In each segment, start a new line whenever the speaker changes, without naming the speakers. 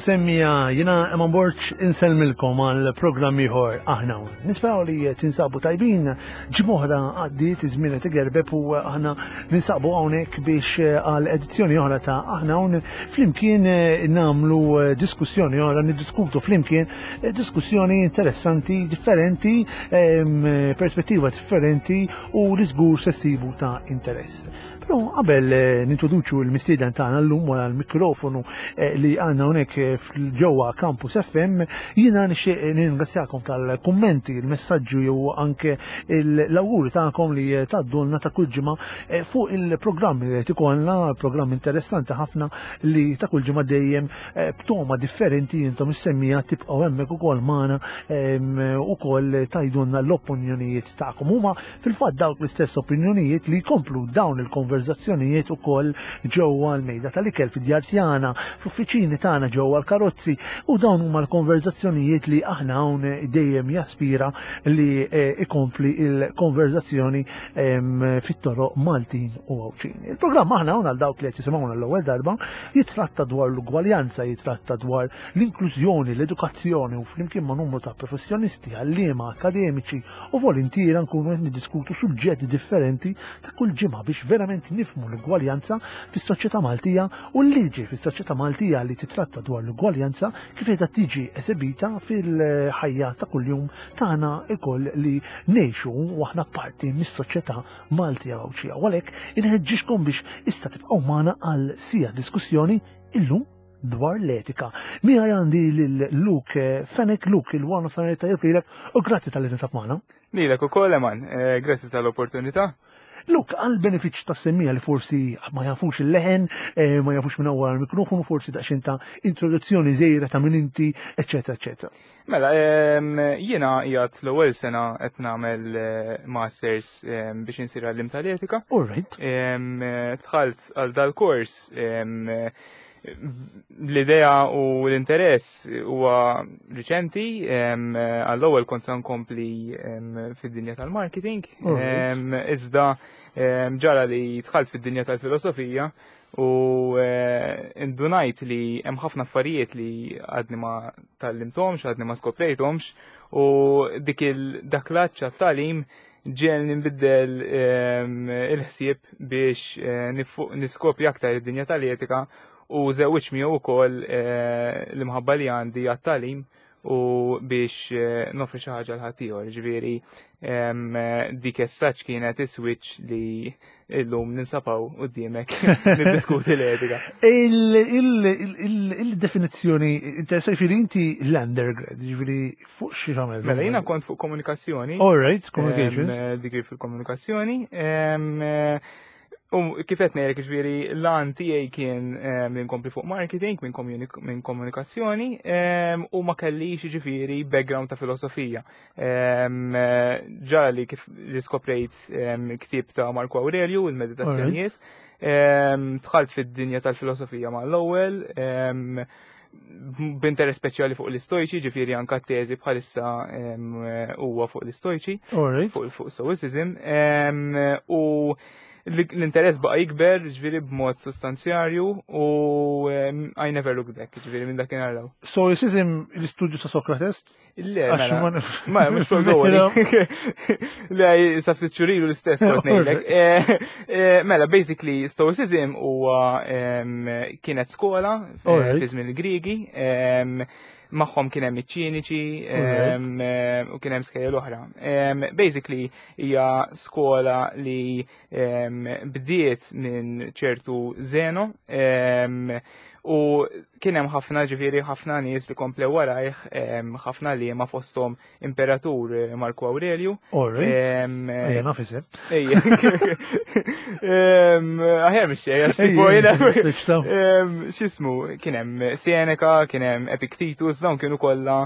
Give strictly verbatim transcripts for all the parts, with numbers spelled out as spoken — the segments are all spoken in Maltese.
Semmiegħa, jiena Eman Borg insellmilkom għal programm ieħor Aħna. Nisperaw li tinsabu tajbin, ġimgħa oħra għaddiet, iż-żmien qed igerbeb u aħna ninsabu hawnhekk biex għal edizzjoni oħra ta' Aħna Hawn flimkien nagħmlu diskussjoni oħra, niddiskutu flimkien diskussjoni interessanti, differenti, perspettiva differenti u li żgur se ssibu ta' interess. Però qabel nintroduċu l-mistieden tagħna llum wara l-mikrofonu li għandna hawnhekk ġewwa Campus F M, jiena nixtieq ningrazzjakom tal-kummenti, il-messaġġu jew anke l-awguri tagħkom li tgħaddulna ta' kull ġimgħa fuq il-programmi li qed ikollna, programm interessanti ħafna li ta' kull ġimgħa dejjem b'toma differenti. Intom is-semmiegħa tibqgħu hemmhekk ukoll magħna ukoll tgħidulna l-opinjonijiet tagħkom. Huma fil-fatt dawk l-istess opinjonijiet li jkomplu dawn il-konverzazzjonijiet ukoll ġewwa l-mejda tal-ikel fid-djar tagħna, fl-uffiċini tagħna, ġewwa l-karozzi, u dawn huma l-konverzazzjonijiet li Aħna Hawn dejjem jaspira li ikompli il-konverzazzjoni fit-toroq Maltin u Għawdxin. Il-programm Aħna Hawn, għal dawk li qed jisimgħuna l-ewwel darba, jitratta dwar l-ugwaljanza, jitratta dwar l-inklużjoni, l-edukazzjoni u flimkien ma' numru ta' professjonisti, għalliema, akademiċi u volontiera nkunu qed niddiskutu suġġetti differenti ta' kull ġimgħa biex verament nifhmu l-ugwaljanza fis-soċjetà Maltija u l-liġi fis-soċjetà Maltija li titratta dwar l-ugwaljanza kif qiegħda tiġi esebita fil-ħajja ta' kuljum tagħna lkoll li ngħixu u aħna parti mis-soċjetà Maltija Għawdxija. U għalhekk inħeġġixkom biex issa tibqgħu magħna għal siegħa diskussjoni illum dwar l-etika. Miegħi għandi lil Luke Fenech. Luke, il-wara nofsinhar tajjeb lilek u grazzi talli tinsab magħna.
Lilek ukoll, Eman, eh, grazzi tal-opportunità.
Luke, għal benefiċ ta' semmiegħa li forsi ma jafux il-leħen, eh, ma jafux minn wara l-mikrofonu, forsi daqsxejn ta' introduzzjoni żgħira ta' min inti, eccetera, eccetera.
Mela, jiena qiegħed l-ewwel sena qed nagħmel eh, masters biex insir għallim tal-etika.
All right.
Dħalt għal dal-kors, l-idea u l-interess huwa riċenti. Għall-ewwel kont se nkompli fid-dinja tal-marketing, iżda ġara li dħalt fid-dinja tal-filosofija u eh, indunajt li hemm ħafna affarijiet li għadni ma tgħallimthomx, għadni ma skoprejthomx, u dik il dak l-għatx tagħlim ġiegħelni nbiddel il-ħsieb biex eh, niskopri aktar id-dinja tal-etika u żewwiġt miegħu wkoll eh, l-imħabba li għandi għat-tagħlim u biex eh, nofri xi ħaġa lil ħaddieħor. Ġifieri dik essaċ kienet is-switch li illum ninsab hawn quddiemek niddiskuti l-etika.
Il-definizzjoni interessati, ġifieri inti l-undergrad, ġifieri fuq xi għamel?
Mela, jiena kont fuq komunikazzjoni.
All right, communications.
Degree fil-komunikazzjoni. U kif qed ngħidlek, ġifieri l-għan tiegħi kien li nkompli fuq marketing minn komunikazzjoni u ma kellix ġifieri background ta' filosofija. Ġara li kif li skoprejt ktieb ta' Marco Aurelio, il-Meditazzjonijiet, dħalt fid-dinja tal-filosofija mal-ewwel, b'interess speċjali fuq l-Istojċi, ġifieri anka teżi bħalissa huwa fuq l-Istojċi, fuq Stoicism, u l-interess baqa jikber, ġifieri b'mod sostanzjarju, u I never look back, ġifieri minn dakinhar.
Stoicism, l-istudju ta' Socrates?
Le, mela, ma, mhux fuq. Le, sa ftit xhur ilu l-istess kont ngħidlek. Eh, eh, mela, basically, Stoicism huwa kienet skola fi żmien il-Griegi, magħhom kien hemm iċ-Ċiniċi u kien hemm skejjel oħra. Basically hija skola li bdiet minn ċertu Zeno u kien hemm ħafna, ġifieri ħafna nies li komplew warajh, ħafna li ma fosthom Imperatur Marco Aurelio.
Ejja, naf isem.
Ejja. Aħjar mhux xejn, għax tipo jiena x'ismu, kien hemm Seneca, kien hemm Epictetus, dawn kienu kollha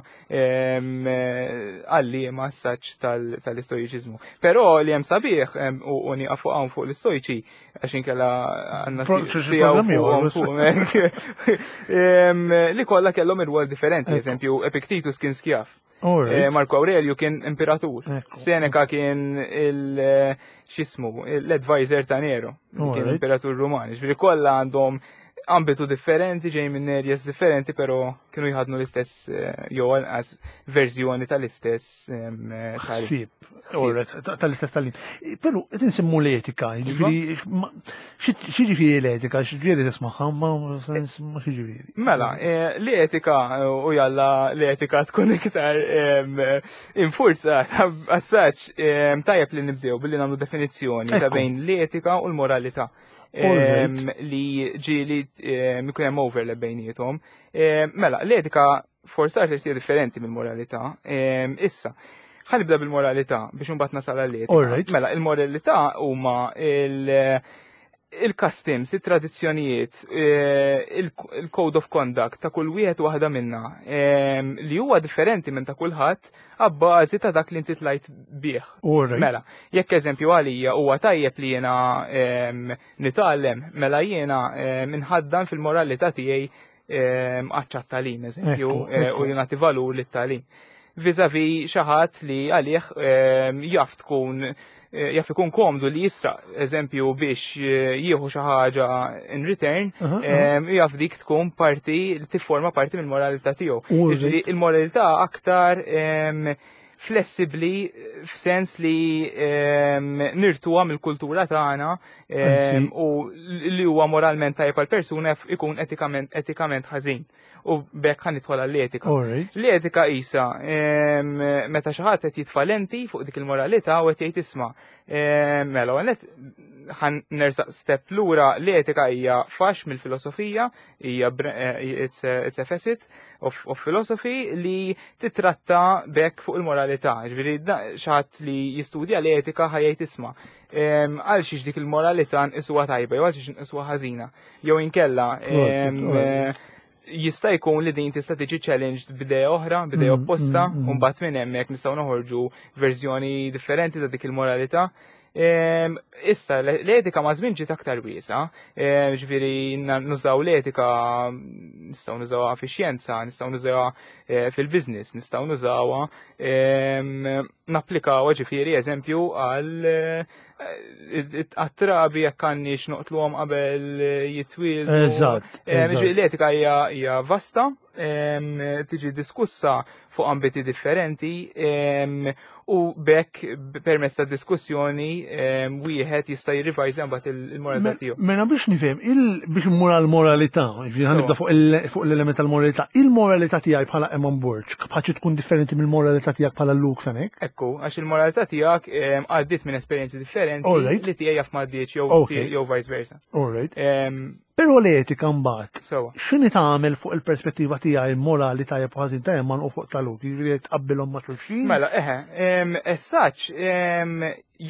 għalliema saċ tal-Istoiċiżmu. Però li hemm sabiħ u nieqaf fuq hawn fuq l-Istojċi għax inkella għandna fuq li kollha kellhom ir-rwol differenti, eżempju Epictetus kien skjav. Eh, Marco Aurelio kien imperatur. Seneca kien il x'ismu, l-advisor ta' Nero, kien imperatur Ruman. Ġifieri kollha għandhom ambitu differenti, ġej minn areas differenti, pero kienu jħadnu l-istess eh, jew anqas verżjoni tal-istess eh,
ħsieb. Tal-istess tal-lin. Pero qed insemmu l-etika, jiġifieri x'jiġifieri l-etika, x'ġifieri tismagħha, ma sens ma x'jiġifieri.
Mela, eh, l-etika u jalla l-etika tkun iktar infurzata as-saċ tajjeb li nibdew billi nagħmlu definizzjoni ta' bejn l-etika u l-moralità li ġieli ikun hemm overlap bejniethom. Mela, l-etika for starters hija differenti mill-moralità. Issa, ħa nibda bil-moralità biex imbagħad nasal għall-etika. Mela, il-moralità huma il- il-customs, il-tradizzjonijiet, eh, il-code of conduct ta' kull wieħed waħda minna li huwa differenti minn ta' kulħadd abbażi ta' dak li inti tlajt bih. Mela, jekk eżempju għalija huwa tajjeb li jiena nitgħallem, mela jiena minħaddan fil-moralità tiegħi għaċ-tagħlim, eżempju, eh, u nagħti valur lit-tagħlim. Vis-à-vis xi ħadd li għalih jaf tkun Eh, jaf ikun komdu li jisraq, eżempju, biex eh, jieħu xi ħaġa in return, jaf dik tkun parti li tifforma parti mill-moralità tiegħu. Il-moralità aktar flessibli f'sens li nirtuha mill-kultura tagħna u li huwa moralment tajjeb għal persuna ikun etikament etikament ħażin. U bekk ħa nidħol għall-etika. L-etika isa meta xi ħadd qed jitfa' lenti fuq dik il-moralità u qed jgħid isma' mela għanet ħa nersaq step lura l-etika hija fax mill-filosofija, hija eh, it's a, it's a facet of, of philosophy li titratta bekk fuq il-moralità. Ġifieri xi ħadd li jistudja l-etika ħa jgħid isma' għal xiex dik il-moralità nqisuha tajba jew għal xiex nqisuha ħażina. Jew inkella jista' jkun li din tista' tiġi challenged b'idea oħra, b'idea mm, opposta, mm, mm. u mbagħad minn hemmhekk nistgħu noħorġu verżjoni differenti ta' dik il-moralità. Issa, l-etika ma' żmien ġiet aktar wiesa, ġifieri nużaw l-etika, nistgħu nużawha fix-xjenza, nistgħu nużawha eh, fil-business, nistgħu nużawha napplikawha ġifieri eżempju għal eh, għat-trabi jekk għandniex noqtluhom qabel jitwieldu.
Eżatt.
L-etika hija vasta, tiġi diskussa fuq ambiti differenti u bekk permezz ta' diskussjoni wieħed jista' jirrivajża mbagħad il-moralità tiegħu.
Mela biex nifhem, biex immur għall-moralità, ġifieri nibda fuq l-element tal-moralità, il-moralità tiegħi bħala Eman Borg bħaċi tkun differenti mill-moralità tiegħek bħala Luke Fenech?
Ekku, għax il-moralità tiegħek għaddiet minn esperjenzi differenti li tiegħi jaf m'għaddietx jew vice versa.
All right. Però l-etika mbagħad. X'inhi tagħmel fuq il-perspettiva tiegħi morali tajjeb u ħażin ta' Eman u fuq ta' Luke, jiġifieri tqabbilhom ma' xulxin?
Mela, eħe, essaċ,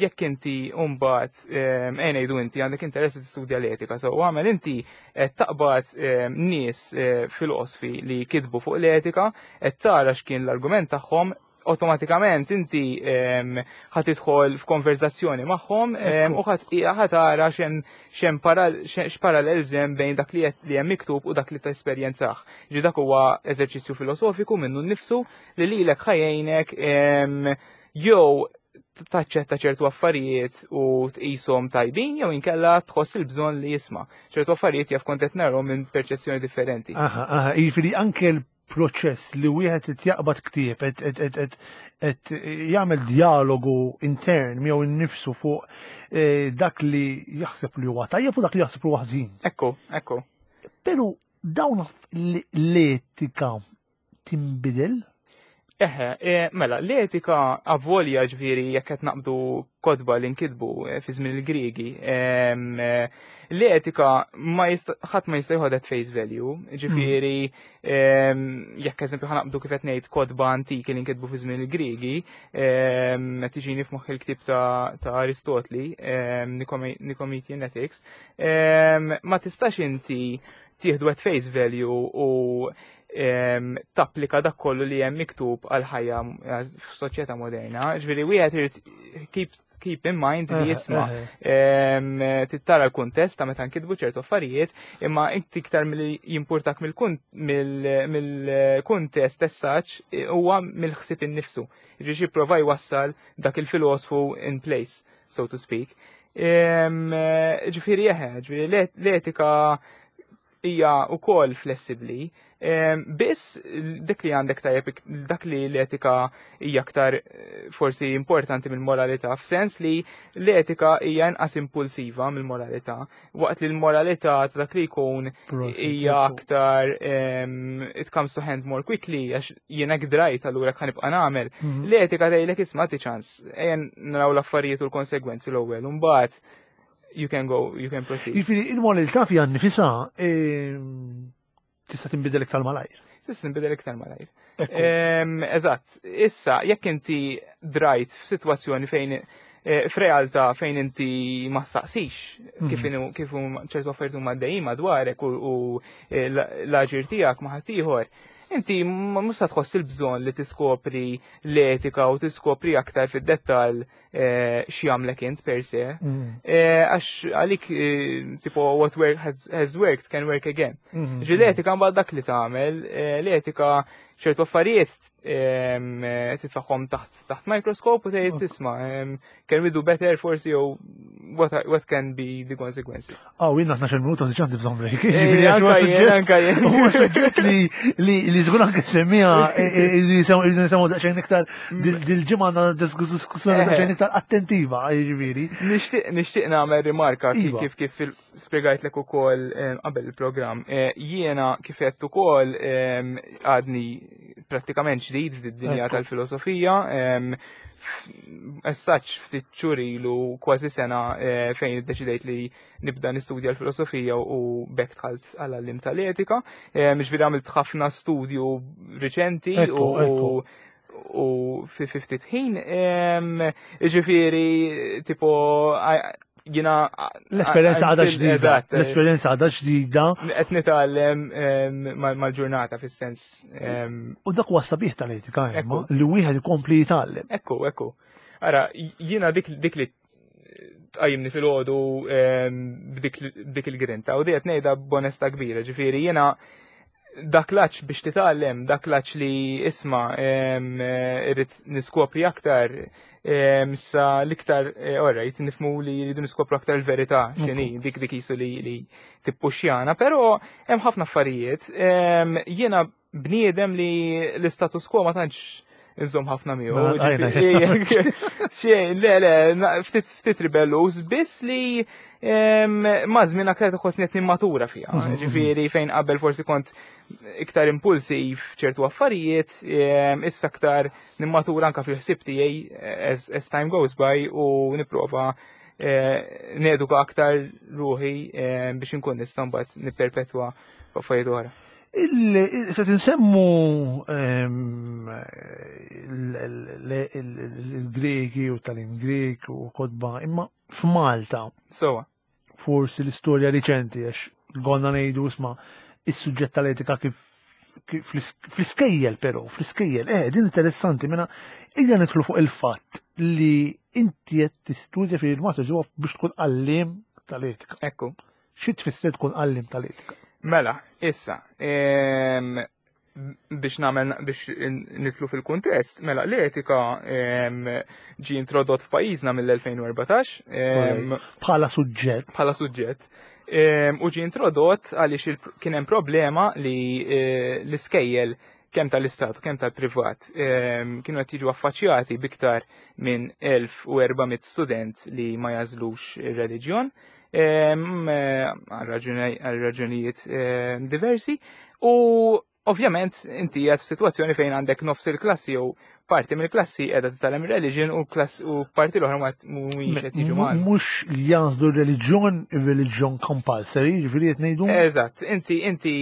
jekk inti mbagħad ejja ngħidu inti għandek interess tistudja l-etika, so għamel inti qed taqbad nies eh, filosfi li kitbu fuq l-etika, qed tara x'kien l-argument tagħhom, automatikament inti ħa tidħol f'konverzazzjoni magħhom u ħa tara x'hemm x'parallels hemm bejn dak li hemm miktub u dak li tesperjenzah. Ġi dak huwa eżerċizzju filosofiku minnu nnifsu li lilek ħa jgħinek jew taċċetta ċertu affarijiet u tqishom tajbin jew inkella tħoss il-bżonn li jisma'. Ċertu affarijiet jaf kont qed narhom minn perċezzjoni differenti.
Aha, aha, jiġifieri anke l-proċess li wieħed qed jaqbad ktieb qed qed jagħmel dialogu intern miegħu innifsu fuq eh, dak li jaħseb li huwa tajjeb u dak li jaħseb li huwa ħażin.
Ekku, ekku.
Però dawn l-etika tinbidel?
Eħe, e, mela, l-etika avolja ġifieri jekk qed naqbdu kotba li nkitbu eh, fi żmien il-Griegi, eh, l-etika ma ħadd ma jista' jħodha face value, ġifieri jekk eżempju ħa naqbdu kif qed ngħid kotba antiki li nkitbu fi żmien il-Griegi, tiġini f'moħħ il-ktieb ta' Aristotli, Nicomachean Ethics, ma tistax inti tieħdu at face value u tapplika dak kollu li hemm miktub għal ħajja f'soċjetà moderna. Ġifieri wieħed irid keep keep in mind li jisma' tittara l-kuntest ta' meta nkitbu ċertu affarijiet, imma inti iktar milli jimpurtak mill-kuntest essaċ huwa mill-ħsieb innifsu. Ġifieri jipprova jwassal dak il-filosfu in place, so to speak. Ġifieri eħe, ġifieri l-etika hija wkoll flessibbli. Biss dik li għandek tajjeb, dak li l-etika hija aktar eh, forsi importanti mill-moralità, f'sens li l-etika hija inqas impulsiva mill-moralità, waqt li l-moralità ta' dak li jkun hija aktar it comes to hand more quickly, għax jiena drajt, allura ħa nibqa' nagħmel. Mhm. L-etika tgħidlek, "Isma', ċans, ejja naraw l-affarijiet u l-konsegwenzi l-ewwel, u mbagħad you can go, you can proceed."
Jiġifieri il-moralità fiha nnifisha ehm, tista' tinbidel iktar malajr.
Tista' tinbidel iktar malajr. Eżatt, issa jekk inti drajt f'sitwazzjoni fejn eh, f'realtà fejn inti ma saqsix kif mhm. kif ċertu affarijiet huma għaddejjin madwarek u eh, l-aġir tiegħek ma' ħaddieħor, inti mhux se tħoss il-bżonn li tiskopri l-etika u tiskopri aktar fid-dettall eh, x'jagħmlek int per se. Mm. Eh, għax għalik eh, tipo what work has, has worked can work again. Mm. Ġi l-etika mbagħad dak li tagħmel, l-etika ċertu affarijiet titfagħhom taħt taħt microscope u tgħid, "Isma', can we do better forsi, jew what, what can be the consequences?"
Ah, jiena tnax-il minuta diġà għandi bżonn break.
Anka jien.
Huwa suġġett li li li żgur anke semmija li nisimgħu daqsxejn iktar dil-ġimgħa, għandna diskussjoni daqsxejn iktar attentiva, jiġifieri.
Nixtieq nixtieq nagħmel rimarka kif kif spjegajtlek ukoll qabel il-programm. Jiena kif qed ukoll għadni prattikament ġdid fid-dinja tal-filosofija. Essaċ ftit xhur ilu, kważi sena, eh, fejn iddeċidejt li nibda nistudja l-filosofija u b'hekk dħalt għall-għallim tal-etika. Ġifieri għamilt ħafna studju riċenti u u fi ftit ħin. Ġifieri, tipo, jiena
L-esperjenza għadha ġdida. L-esperjenza għadha ġdida.
Qed nitgħallem mal-ġurnata fis-sens.
U dak huwa sabiħ tal-etika, li wieħed ikompli jitgħallem.
Ekku, ekku. Ara, jiena dik dik li tqajjimni filgħodu b'dik il-grinta u qed ngħidha b'onesta kbira, ġifieri jiena dak l-għatx biex titgħallem, dak l-għatx li, isma', irrid niskopri aktar, sa l-iktar, eh, alright, nifhmu li rridu niskopru aktar il-verità, x'inhi, dik dik jisu li li tippuxjana, però hemm ħafna affarijiet. Jiena bniedem li l-status quo ma tantx nżomm ħafna miegħu. Xejn, le, le, ftit ftit ribellus, biss li ma' żmien aktar tħossni qed nimmatura fiha. Mhm, Ġifieri fejn qabel forsi kont iktar impulsiv ċertu affarijiet, issa aktar nimmatura anka fil-ħsieb tiegħi as, as time goes by u nipprova eh, neduka aktar ruħi biex inkun nista' mbagħad nipperpetwa affarijiet oħra.
Se tinsemmu il-Greki u tal Grek u kotba, imma f'Malta.
Sowa.
Forsi l-istorja riċenti, għax għonna ngħidu, isma', is-suġġett tal-etika kif fl-iskejjel però, fl-iskejjel, eh, din interessanti, mela, ejja nidħlu fuq il-fatt li inti qed tistudja fil-master biex tkun għallim tal-etika.
Ekku.
Xi tfisser tkun għallim tal-etika?
Mela, issa, biex nagħmel biex nidħlu fil-kuntest, mela l-etika ġi introdott f'pajjiżna mill-elfejn u erbatax.
Bħala suġġett.
Bħala suġġett. U ġi introdott għaliex kien hemm problema li eh, l-iskejjel kemm tal-istat u kemm tal-privat kienu qed jiġu affaċċjati biktar minn elf u erba' mitt student li ma jagħżlux ir-reliġjon għal raġunijiet diversi u ovvjament inti qed f'sitwazzjoni fejn għandek nofs il-klassi jew parti mill-klassi qiegħda titgħallem religion u klass u parti l-oħra ma mhumiex qed jiġu magħna.
Mhux jagħżlu reliġjon, religion compulsory, ġifieri qed ngħidu?
Eżatt, inti inti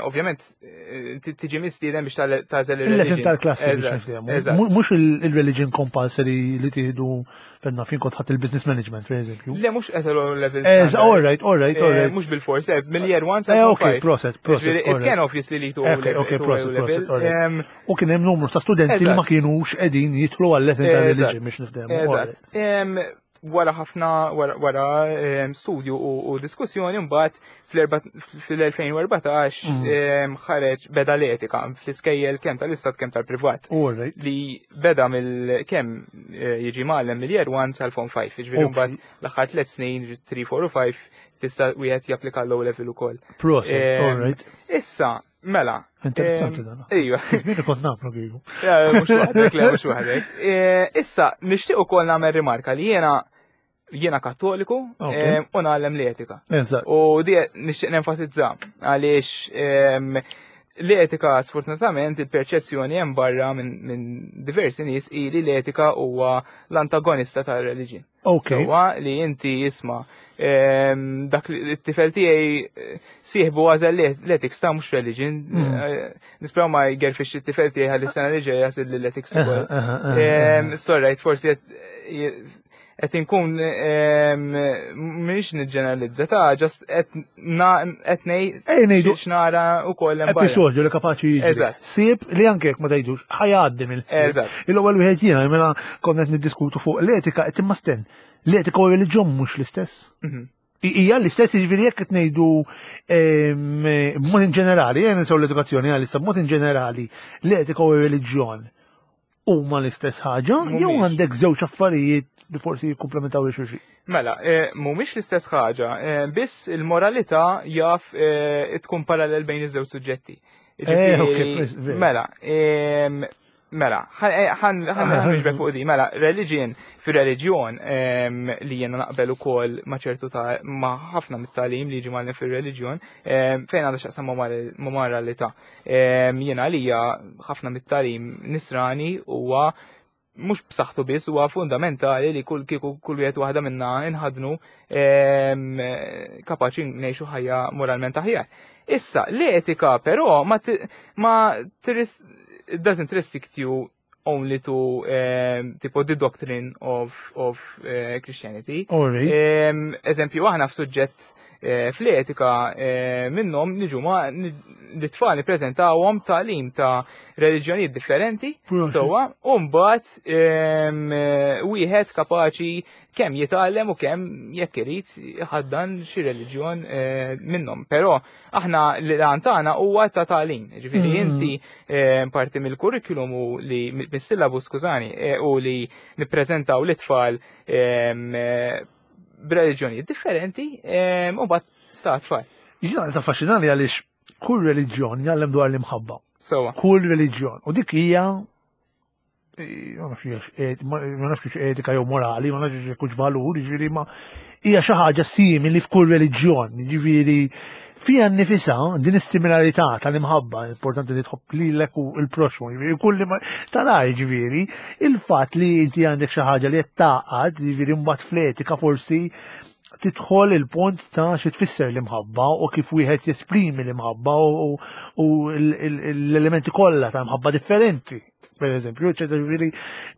ovvjament tiġi mistieden biex tagħżel
il-religion. Tal-klassi biex. Mhux il-religion compulsory li tieħdu fenna fin kont ħadd il-business management, per eżempju.
Le, mhux qed level.
All right, all right, all right.
Mhux bil-fors, mill-year one
sa. Ok, proset, proset.
It can obviously lead to
Ok, proset, proset. U kien hemm numru ta' studenti li ma kienux qegħdin jidħlu għal-lesson ta' religion biex niftehmu.
Eżatt. Wara ħafna wara studju u diskussjoni mbagħad fil-elfejn u erbatax mm. ħareġ beda l-etika fl-iskejjel kemm tal-istat kemm tal-privat. Li beda mill kemm eh, jiġi mgħallem mill-year one sal-form five, jiġifieri mbagħad l-aħħar tliet snin, three, four u five, Tista' wieħed japplika l-O level ukoll.
Proset, all right.
Issa, mela.
Interessanti dan.
Ejwa.
Żmien kont nagħmlu kieku.
Mhux waħdek, le mhux waħdek. Issa, nixtieq ukoll nagħmel rimarka li jiena jiena Kattoliku u ngħallem l-etika. U di nixtieq nenfasizza għaliex l-etika, sfortunatament, il-perċezzjoni hemm barra minn diversi nies hi li l-etika huwa l-antagonista tar-reliġjon.
Ok.
Sewwa li inti jisma' dak li t-tifel tiegħi eh, sieħbu għażel l-ethics ta' mhux religion.
Mm.
Eh, Nisperaw ma jgerfix it-tifel tiegħi ħalli s-sena li ġejja jasil l-ethics ukoll. Sorry, forsi qed inkun mhix niġġeneralizza ta' just qed ngħid x'nara wkoll
hemm episodju li kapaċi jiġri.
Eżatt.
Sib li anke jekk ma tgħidux ħajgħaddi mill-ħsieb.
Eżatt.
Il-ewwel wieħed jiena mela konna qed niddiskutu fuq l-etika qed imma sten. L-etika u r-reliġjon mhux l-istess.
Mhm.
Hija l-istess, jiġifieri jekk qed ngħidu b'mod in ġenerali, jien nsew l-edukazzjoni għalissa, b'mod in ġenerali, l-etika u r-reliġjon huma l-istess ħaġa jew
Mhumiex.
għandek żewġ affarijiet li forsi jikkumplementaw lil xulxin?
Mela, eh, mhumiex l-istess ħaġa, eh, biss il-moralità jaf eh, tkun parallel bejn iż-żewġ suġġetti.
Eh,
Ġifieri,
ok, pres- veru.
Mela, em, mela, ħan nixbek fuq di, mela, religion, fir-reliġjon em, li jena naqbel ukoll ma' ċertu ta' ma' ħafna mit-tagħlim li jiġi mgħallem fir-reliġjon, em, fejn għandha x'taqsam ma' ma' moralità. Em, Jiena għalija ħafna mit-tagħlim nisrani huwa mhux b'saħħtu biss, huwa fundamentali li kull kieku kull wieħed waħda minna inħadnu em, kapaċi ngħixu ħajja moralment aħjar. Issa, l-etika però ma ti- ma tirris- it doesn't restrict you only to um, tipo the doctrine of, of uh, Christianity.
All right.
Em, Eżempju, aħna f'suġġett eh, fl-etika eh, minnhom niġu ma l-tfal nippreżentawhom tagħlim ta' reliġjonijiet differenti,
Proset.
sewwa, u mbagħad em, eh, wieħed kapaċi kemm jitgħallem u kemm jekk irid iħaddan xi reliġjon eh, minnhom. Però aħna l-għan tagħna huwa ta' tagħlim. Ġifieri
Mm.
inti eh, parti mill-kurrikulum u li mis-syllabus, skużani, eh, u li nippreżentaw l-itfal em, eh, b'reliġjonijiet differenti em, u mbagħad sta tfal.
Jiena taffaxxinani għaliex kull reliġjon jgħallem dwar l-imħabba.
Sewwa.
Kull reliġjon. U dik hija eh, ma nafx eh, ma ma nafx etika jew morali, ma nafx jekk hux valur, jiġifieri ma hija xi ħaġa simili f'kull reliġjon, jiġifieri fija nnifisha din is-similarità tal-imħabba, importanti li tħobb lilek u l-proxmu, jiġifieri kull li ma tara, jiġifieri il-fatt li inti għandek xi ħaġa li qed taqgħad, jiġifieri mbagħad fl-etika forsi tidħol il-punt ta' xi tfisser l-imħabba u kif wieħed jesprimi l-imħabba u, u l-elementi kollha ta' mħabba differenti. Per eżempju, eċetera, ġifieri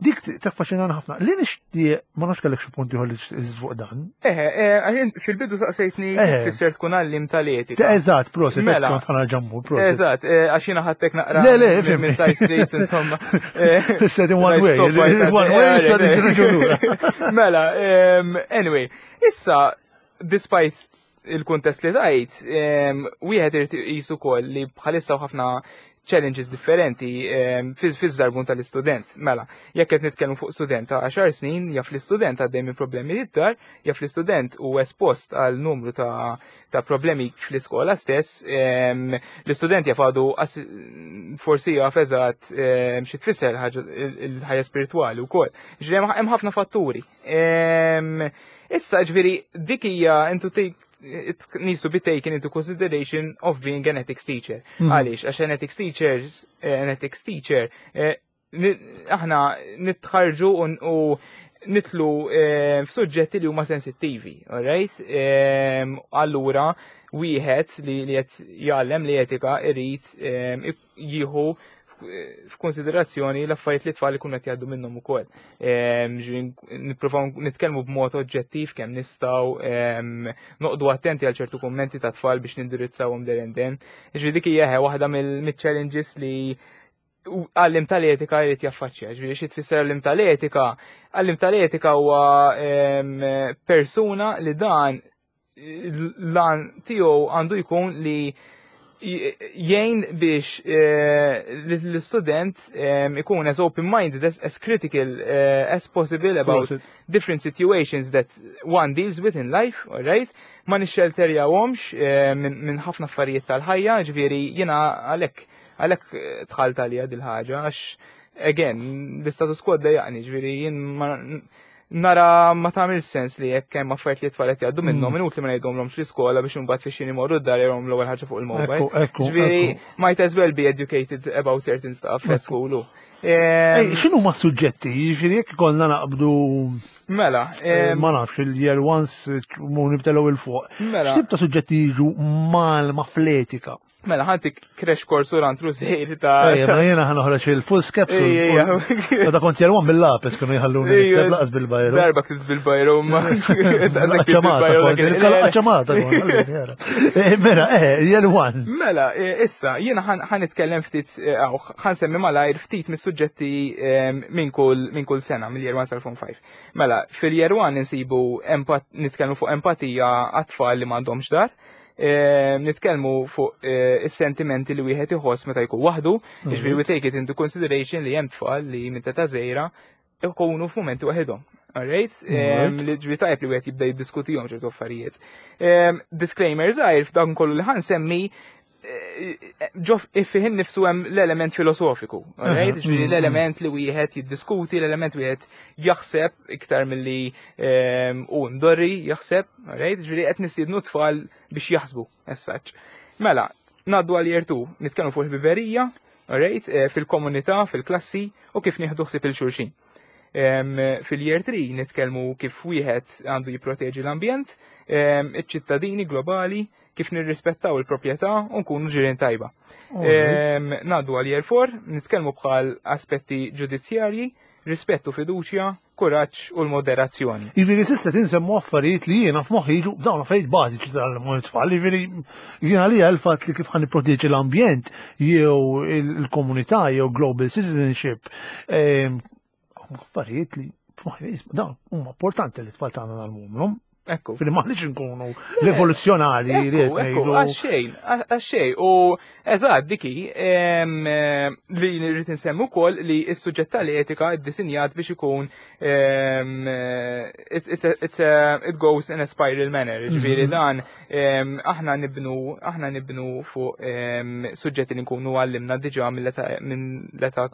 dik taffaxxinana ħafna. Li nixtieq, ma nafx kellek xi punti ieħor li tżid fuq dan.
Eħe, eh, għax fil-bidu saqsejtni
Eh.
tfisser tkun għallim tal-etika.
Ta' Eżatt, proset,
Mela.
kont ħa ġammu, proset.
Eżatt, eh, għax jiena ħadtek naqra
Le, le,
minn-
ifhem.
minn side streets, insomma. Eh,
Said in one way,
stop right at-
one way,
eh,
said in lura.
Mela, em, anyway, issa, despite il-kuntest li tajt, em, wieħed irid iqis ukoll li bħalissa u ħafna challenges differenti em, fiż-żarbun tal-istudent. Mela, jekk qed nitkellmu fuq student ta' għaxar snin, jaf l-istudent għaddej minn problemi id-dar, jaf l-istudent u espost għal numru ta', ta' problemi fl-iskola stess, em, l-istudent jaf għadu as- forsi jaf eżatt em, xi tfisser ħaġa- il-ħajja spiritwali wkoll. Ġifieri hemm- hemm ħafna fatturi. Em, Issa ġifieri dik hija into take it needs to be taken into consideration of being an ethics teacher.
Mhm.
Għaliex, għax an ethics teachers, eh, an ethics teacher, eh, ni- aħna nitħarġu u u nidħlu eh, f'suġġetti li huma sensittivi, alright? Em, Allura, wieħed li li qed jgħallem li etika irid em, ik- jieħu f'konsiderazzjoni l-affarijiet li tfal ikunu qed jgħaddu minnhom ukoll. Em, ġifieri nippruvaw nitkellmu b'mod oġġettiv kemm nistgħu, em, noqogħdu attenti għal ċertu kummenti ta' tfal biex nindirizzawhom there and then. Ġifieri dik hija waħda mill-challenges li għallim tal-etika jrid jaffaċċja. Ġifieri xi tfisser għallim tal-etika? Għallim tal-etika huwa em, persuna li dan l-għan tiegħu għandu jkun li Jgħin biex eh, l-student em, ikun as open-minded, as, as critical eh, as possible about
Prosit.
different situations that one deals with in life, alright? Ma nixxelterjawhomx eh, minn min ħafna affarijiet tal-ħajja, ġifieri jiena għalhekk għalhekk eh, dħalt għalija dil-ħaġa, għax again, l-status quo dejjaqni, ġifieri jien ma nara ma tagħmel sens li jekk hemm affarijiet li t-tfal qed jgħaddu minnhom
Mm.
inutli ma ngħidhomlhomx l-iskola biex imbagħad fix imorru d-dar jarahom l-ewwel ħaġa fuq il-mobile.
Ekku, ekku,
Ġifieri
ekku.
might as well be educated about certain stuff at
Ekku.
school.
Ej,
Em,
x'inhu ma suġġetti? Jiġifieri jekk ikollna naqbdu
Mela,
eh,
em,
ma nafx il-year ones mu nibtelaw il-fuq.
mela,
X'tip ta' suġġetti jiġu mal ma fl-etika?
Mela, ħa ntik crash course u rantru żejr ta'
Ejja, ma jiena ħa noħroġ il-foolscap.
Ejja,
Meta kont year one bil-lapis kienu jħalluni
Ejja.
nikteb laqas bil-bajru.
Darba ktibt bil-bajru, ma.
Ċamata, kont, ċamata kont. Eh, Mela, eh, year one.
Mela, eh, issa, jiena ħa nitkellem ftit, eh, aw, ħa nsemmi malajr ftit mis-suġġetti eh, minn kull minn kull sena, mill-year one sal-form five. Mela, fil-year one nsibu empat, nitkellmu fuq empatija għat-tfal li m'għandhomx dar, eh, nitkellmu fuq eh, is-sentimenti li wieħed iħoss meta jkun waħdu, jiġifieri we take it into consideration li hemm tfal li minn ta' żgħira ikunu f'mumenti waħedhom. Alright?
Alright.
Li ġifieri tajb li wieħed jibda jiddiskutihom ċertu affarijiet. Em, Disclaimer żgħir f'dan kollu li ħa nsemmi eh, ġo fih innifsu hemm l-element filosofiku, alright?
Aha,
Ġifieri
mm,
l-element li wieħed jiddiskuti, l-element wieħed jaħseb iktar milli em, u ndorri jaħseb, alright? Ġifieri qed nistiednu tfal biex jaħsbu as such. Mela, ngħaddu għal year two, nitkellmu fuq il-ħbiberija, alright? Eh, Fil-komunità, fil-klassi u kif nieħdu ħsieb lil xulxin. Em, Fil-year three nitkellmu kif wieħed għandu jipproteġi l-ambjent, em, iċ-ċittadini globali, kif nirrispettaw il-proprjetà u nkunu ġirien tajba. Em, Ngħaddu għal year four, nitkellmu bħal aspetti ġudizzjarji, rispettu fiduċja, kuraġġ u l-moderazzjoni.
Jiġifieri s'issa tinsemmu affarijiet li jiena f'moħħi jiġu dawn affarijiet bażiċi tal-tfal, jiġifieri jiena li l-fatt li kif ħa nipproteġi l-ambjent jew il-komunità jew global citizenship, em, affarijiet li f'moħħi dawn huma importanti li t-tfal tagħna ngħallmuhom.
Ekku.
Fili maħniex nkunu rivoluzzjonari li qed
Ekku, ekku,
ngħidu.
għaxxejn, għaxxejn, u eżatt diki, em, eh, li nirrid insemmu wkoll li s-suġġett tal-etika ddisinjat biex ikun em, eh, it's, it's a, it's a, it goes in a spiral manner, ġifieri
Mhm.
dan em, aħna nibnu aħna nibnu fuq em, suġġetti li nkunu għallimna diġà mill-età minn l-età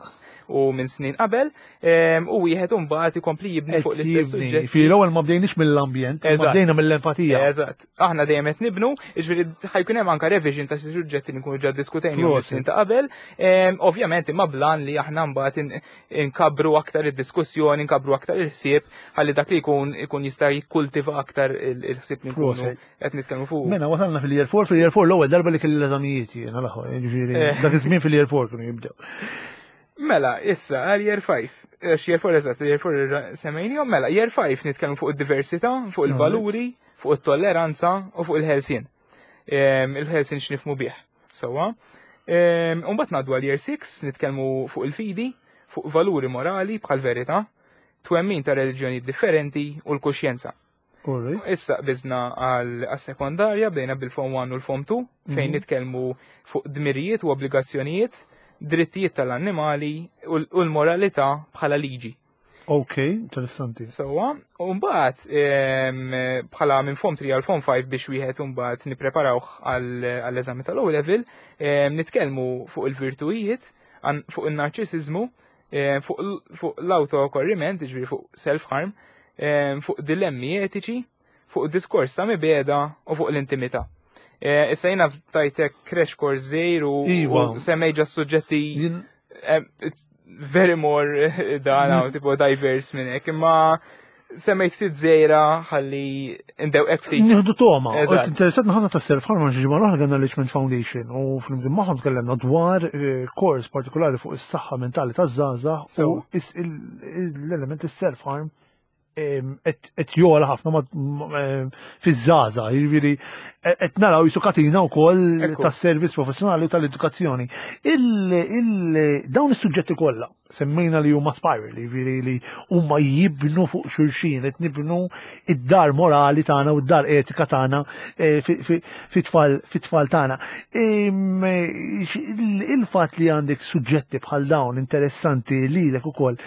u minn snin qabel, em, u wieħed imbagħad ikompli jibni fuq
Qed
l-istess
jibni.
suġġetti.
Fi l-ewwel ma bdejniex mill-ambjent, ma
Eżatt.
bdejna mill-empatija.
Eżatt. Aħna dejjem qed nibnu, jiġifieri ħa jkun hemm anke revision ta' xi suġġetti li nkunu ġa ddiskutejna
Prosit.
snin ta' qabel. Em, Ovvjament imma blan li aħna mbagħad in- inkabru aktar id-diskussjoni, inkabru aktar il-ħsieb, ħalli dak li jkun ikun jista' jikkultiva aktar il- il-ħsieb li nkunu
Prosit.
qed nitkellmu fuq.
Mela, wasalna fil-year four, fil-year four l-ewwel darba li kelli l-eżamijiet jiena l-aħħar, jiġifieri
Eh.
dak iż-żmien fil-year four kienu jibdew.
Mela, issa, għal year five. Għax year four eżatt, year four semmejnihom, mela, year five nitkellmu fuq id-diversità, fuq il-valuri, fuq it-tolleranza u fuq il-ħelsien. Em, Il-ħelsien x'nifhmu bih. Sewwa. Umbagħad ngħaddu għal year six, nitkellmu fuq il-fidi, fuq valuri morali bħal verità, twemmin ta' reliġjoni differenti u l-kuxjenza.
Alright.
Issa qbiżna għal sekondarja, bdejna bil-Form one u l-Form two, fejn
Mhm.
nitkellmu fuq dmirijiet u obbligazzjonijiet, drittijiet tal-annimali u l- u l-moralità bħala liġi.
Ok, interessanti.
Sewwa, u mbagħad em, bħala minn Form three għal Form five biex wieħed mbagħad nippreparawh għall- għall-eżami tal-O level, em, nitkellmu fuq il-virtujiet, għan- fuq il-narċisizmu, em, fuq l- fuq l-autokorriment, ġifieri fuq self-harm, em, fuq dilemmi etiċi, fuq diskors ta' mibegħda u fuq l-intimità. Eh, Issa jiena tajtek crash course żgħir u
Iva.
u semmejt ġa suġġetti
Jien
um, it's very more dan hawn, tipo diverse minn hekk, imma semmejt ftit żgħira ħalli ndewqek ftit.
Nieħdu toma.
Eżatt.
Interessat ħafna ta' self harm għax ġimgħa l-oħra kellna Richmond Foundation u flimkien magħhom tkellimna dwar eh, kors partikolari fuq is-saħħa mentali taż-żgħażagħ u
Sewa.
is- il- l-element is-self harm qed jogħla ħafna ma- ma- em, fiż-żgħażagħ, jiġifieri Qed naraw jisu katina wkoll tas-servizz professjonali u tal-edukazzjoni. Dawn is-suġġetti kollha semmejna li huma spiral, jiġifieri li huma jibnu fuq xulxin, qed nibnu id-dar morali tagħna u d-dar etika tagħna eh, fit-tfal fit-tfal tagħna. Il-fatt li għandek suġġetti bħal dawn interessanti lilek ukoll,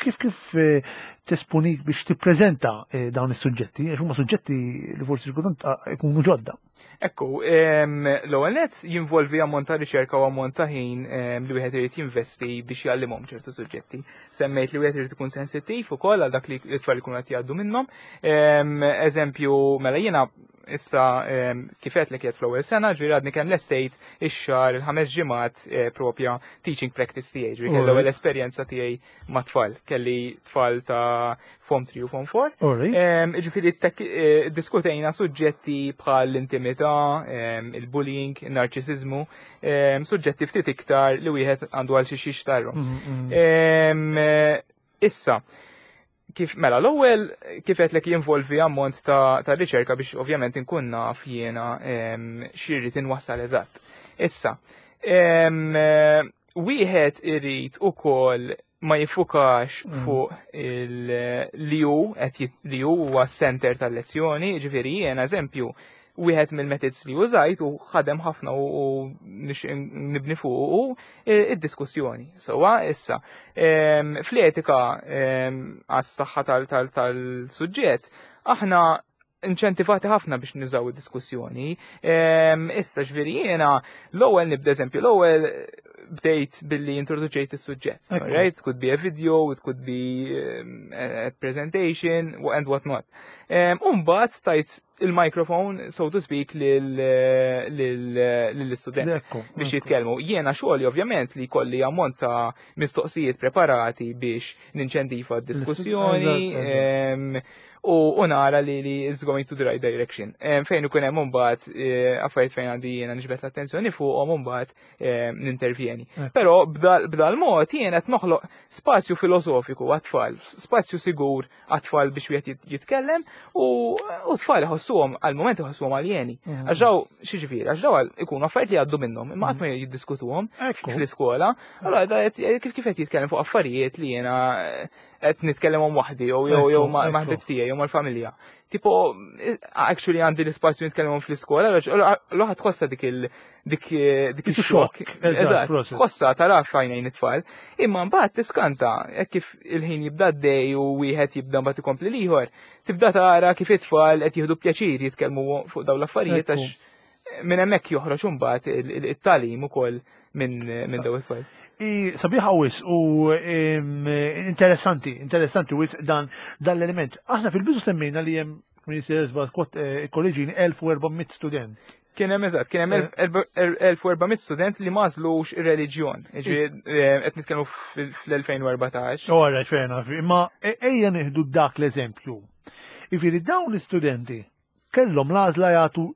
kif kif eh, tesponik biex tippreżenta eh, dawn is-suġġetti, għax huma suġġetti li forsi kultant ikunu ġodda.
Ekku, l-ewwel nett jinvolvi ammont ta' riċerka u ammont ta' ħin li wieħed irid jinvesti biex jgħallimhom ċertu suġġetti. Semmejt li wieħed irid ikun sensittiv ukoll għal dak li t-tfal ikunu qed jgħaddu minnhom. Eżempju, mela jiena issa kif għedtlek qiegħed fl-ewwel sena, ġifieri għadni kemm lestejt ix-xahar il-ħames ġimgħat eh, propja teaching practice tiegħi, ġifieri kelli l-ewwel esperjenza tiegħi ma' tfal, kelli tfal ta' Form tlieta u Form erba'. Ġifieri eh, diskutejna suġġetti bħal l-intimità, il-bullying, il-narċisizmu, suġġetti ftit iktar li wieħed għandu għal xi xixtarru. Mhm, mhm. Issa, kif mela l-ewwel kif qed jinvolvi ammont ta', ta' riċerka biex ovvjament inkun naf jiena x'irrid inwassal eżatt. Issa, wieħed irid ukoll ma jiffukax mm. fuq li hu qed li huwa center tal-lezzjoni, ġifieri jiena eżempju wieħed mill-methods li użajt u ħadem ħafna u nibni fuq u id-diskussjoni. Sowa issa, fl-etika għas-saħħa tal-suġġett, aħna inċentivati ħafna biex nużaw id-diskussjoni. Issa ġifieri jiena l-ewwel nibda eżempju, l-ewwel bdejt billi introduċejt is-suġġett. Right? It could be a video, it could be a presentation, and what not. Umbagħad tajt il-microphone, so to speak, lill-istudent biex jitkellmu. Jiena xogħli ovvjament li kolli ammont ta' mistoqsijiet preparati biex ninċentiva d-diskussjoni u nara li li is going to the right direction. Fejn ikun hemm imbagħad eh, affarijiet fejn għandi jiena niġbed l-attenzjoni fuqhom imbagħad nintervjeni. Però b'dal mod jiena qed noħloq spazju filosofiku għat-tfal, spazju sigur għat-tfal biex wieħed jitkellem u tfal iħossuhom għal-moment iħossuhom aljeni. Mhm. Għax daw xi ġifieri, għax daw ikunu affarijiet li jgħaddu minnhom, imma qatt ma jiddiskutuhom fl-iskola. Allora kif kif qed jitkellem fuq affarijiet li jiena qed nitkellemhom waħdi jew jew jew ma' ħbib tiegħi jew mal-familja. Tipo, actually għandi l-ispazju nitkellemhom fl-iskola, l-oħra tħossa dik il dik dik ix-xokk. Eżatt, tħossa tara f'għajnejn it-tfal. Imma mbagħad tiskanta hekk kif il-ħin jibda dej u wieħed jibda mbagħad ikompli l-ieħor, tibda tara kif it-tfal qed jieħdu pjaċir jitkellmu fuq dawn l-affarijiet għax minn hemmhekk joħroġ imbagħad it-tagħlim ukoll minn minn dawn it-tfal.
Sabiħa wisq u interessanti, interessanti wisq dan dan l-element. Aħna fil-bidu semmejna li hemm Minister kolleġini elf u erba' mitt student.
Kien hemm eżatt, kien hemm elf u erba' mitt student li m'għażlux ir-reliġjon. Ġifieri qed nitkellmu fl-elfejn u erbatax.
Ora, ċena, imma e- ejja nieħdu dak l-eżempju. Jiġifieri dawn l-istudenti kellhom l-għażla jagħtu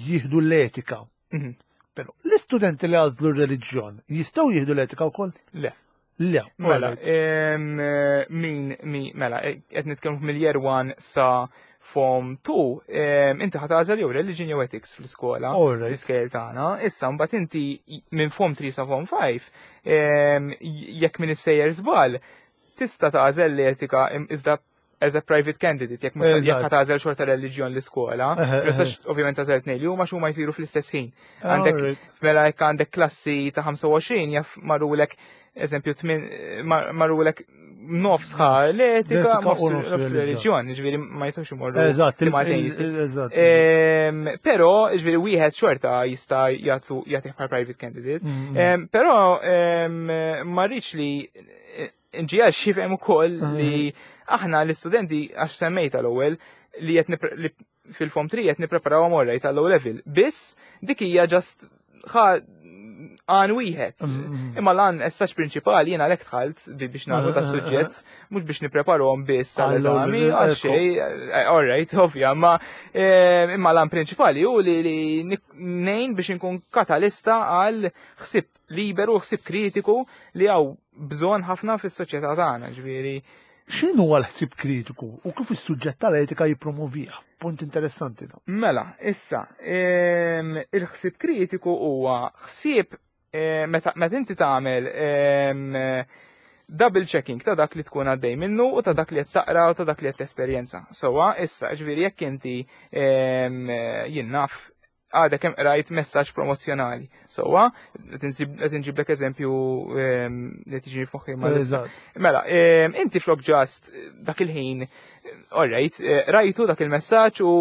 jieħdu l-etika. Mhm. Però l-istudenti li għażlu r-reliġjon jistgħu jieħdu l-etika wkoll?
Le.
Le.
Mela, min, min, mela, qed nitkellmu mill-year one sa Form two, inti ħa tagħżel jew religion jew ethics fl-iskola, l-iskejjel tagħna. Issa mbagħad inti minn Form three sa Form five, jekk minn issejjer żball, tista' tagħżel l-etika iżda as a private candidate, jekk mhux jekk tagħżel xorta reliġjon l-iskola, tistax ovvjament tagħżel tnejn li huma x'huma jsiru fl-istess ħin. Għandek mela jekk għandek klassi ta' ħamsa u għoxrin jaf marulek eżempju marulek nofs ħa l-etika, nofs reliġjon, ġifieri ma jistgħux imorru
simultaneously.
Però ġifieri wieħed xorta jista' jagħtu jagħtih bħal private candidate. Mm, mm. Però ma rridx li nġiegħel xifhem ukoll li aħna l-istudenti għax semmejta l-ewwel li qed fil-Form three qed nippreparaw għamorra tal-O level. Biss dik hija just ħa għan wieħed. Mm, mm. Imma l-għan essax prinċipali jiena għalhekk dħalt biex nagħmlu ta' suġġett, mhux biex nippreparahom biss għall-eżami, għal xejn, eh, all right, ovvja, ma eh, imma l-għan prinċipali hu li ngħin biex inkun katalista għal ħsib liberu, ħsib kritiku li hawn bżonn ħafna fis-soċjetà tagħna, ġifieri.
X'inhu l-ħsieb kritiku u kif is-suġġett tal-etika jippromovih? Punt interessanti da.
Mela, issa, ehm, il-ħsieb kritiku huwa ħsieb eh, meta meta inti tagħmel ehm, double checking ta' dak li tkun għaddej minnu u ta' dak li qed taqra u ta' dak li qed tesperjenza. Sewwa, issa, ġifieri jekk inti ehm, jien naf għadek kemm qrajt messaġġ promozzjonali. Sewwa, qed inġiblek eżempju ehm, li tiġi f'moħħi ma'
Eżatt.
Mela, ehm, inti flok just dak il-ħin, alright, eh, rajtu dak il-messaġġ u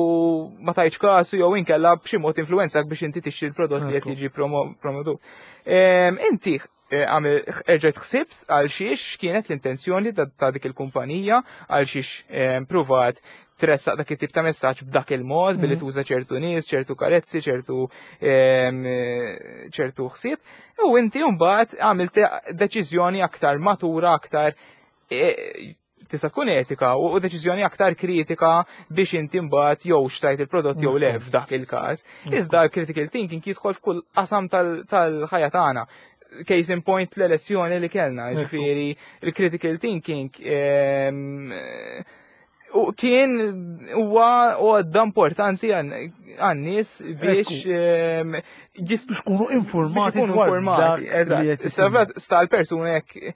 ma tajtx kasu jew inkella b'xi mod influenzak biex inti tixtri l-prodott li qed
Ekku.
jiġi promo- promotu. Ehm, Inti eh, għamil erġajt ħsibt għal xiex kienet l-intenzjoni ta' ta' dik il-kumpanija, għal xiex ehm, pruvat tressaq dak it-tip ta' messaġġ b'dak il-mod billi
Mhm.
tuża ċertu nies, ċertu karezzi, ċertu ehm, eh, ċertu ħsieb. U inti mbagħad għamilt deċiżjoni aktar matura, aktar eh, tista' tkun etika u u deċiżjoni aktar kritika biex inti mbagħad jew xtrajt il-prodott jew le f'dak il-każ. Iżda l-critical thinking jidħol f'kull qasam tal- tal-ħajja tagħna. Case in point l-elezzjoni li kellna,
Ekku.
ġifieri il-critical thinking ehm, u kien huwa għodda importanti għan-nies biex ehm, jist
Biex kunu informati
biex ikunu
dwar
informati,
dak li
eżatt.
qed
Issa
isir.
vet sta l-persuna jekk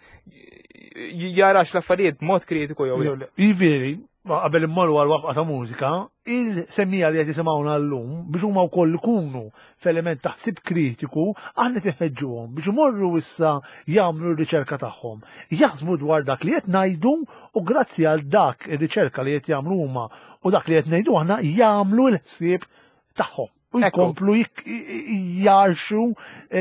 jarax l-affarijiet b'mod kritiku jew le.
Jew le. Jiġifieri, ma qabel immorru għal waqfa ta' mużika, il-semmiegħa li qed jisimgħuna llum biex huma wkoll ikunu f'element ta' ħsieb kritiku, aħna tinħeġġuhom biex imorru issa jagħmlu r-riċerka tagħhom. Jaħsbu dwar dak li qed ngħidu u grazzi għal dak ir-riċerka li qed jagħmlu huma u dak li qed ngħidu aħna jagħmlu l-ħsieb tagħhom. U
Ekku.
jkomplu jik- jarxu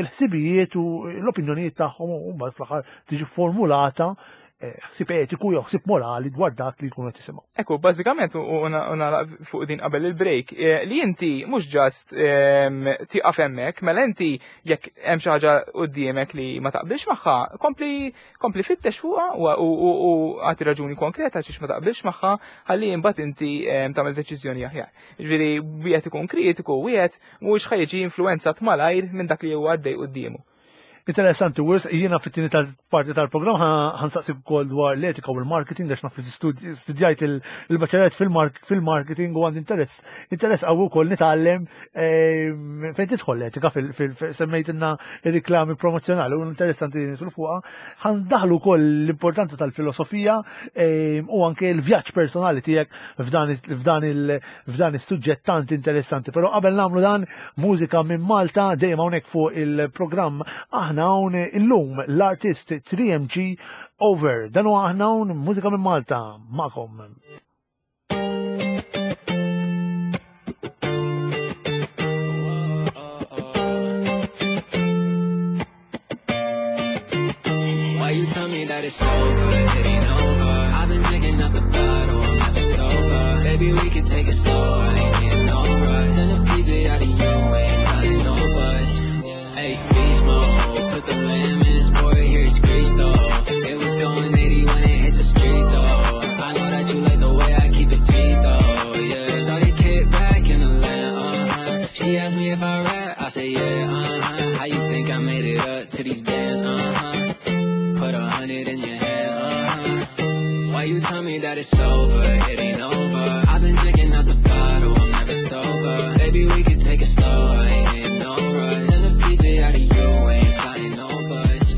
l-ħsibijiet u l-opinjonijiet tagħhom u mbagħad fl-aħħar tiġi formulata eh, ħsieb etiku jew ħsieb morali dwar dak li jkunu qed jisimgħu.
Ekku, bażikament, u u nagħlaq fuq din qabel il-break, eh, li inti mhux just ehm, tieqaf hemmhekk, mela inti jekk hemm xi ħaġa quddiemek li ma taqbilx magħha, kompli kompli fittex fuqha u u- u agħti raġuni konkreta għaliex ma taqbilx magħha, ħalli imbagħad inti ehm, tagħmel deċiżjoni aħjar. Ġifieri wieħed ikun kritiku, wieħed mhux ħa jiġi influenzat malajr minn dak li huwa għaddej quddiemu.
Interessanti, wis jiena fit-tieni tal-parti tal-programm ħa nsaqsi wkoll dwar l-etika u l-marketing għax naf li studi- studjajt il- il-baċellerat fil-mark- fil-marketing u għandi interess interess qawwi wkoll nitgħallem ehm, fejn tidħol l-etika fil- fil- fil- semmejtilna ir-riklami promozzjonali u interessanti li nidħlu fuqha. Ħa ndaħlu wkoll l-importanza tal-filosofija ehm, u anke l-vjaġġ personali tiegħek f'dan is- f'dan il- f'dan is-suġġett tant interessanti. Però qabel nagħmlu dan, mużika minn Malta dejjem hawnhekk fuq il-programm aħna hawn illum l-artist three M G Over. Dan huwa aħna hawn mużika minn Malta magħkom.
Why you tell me that it's over? It ain't over. I've been drinking out the bottle, I'm never sober. Baby, we can take it slow, I ain't in no rush. Send a P J out of you, ain't flying no bus. Hey, beast mode, put the lamb in the sport, here it's grease though. It was going eighty when it hit the street though. I know that you like the way I keep it G though, yeah. Shawty kick back in the land, uh-huh. She asked me if I rap, I say yeah, uh-huh. How you think I made it up to these bands, uh-huh. Put a hundred in your hand, uh-huh. Why you tell me that it's over? It ain't over. I've been drinking out the bottle, I'm never sober. Baby, we can take it slow, I ain't in no rush. Send a P J out of you, ain't flying no bus.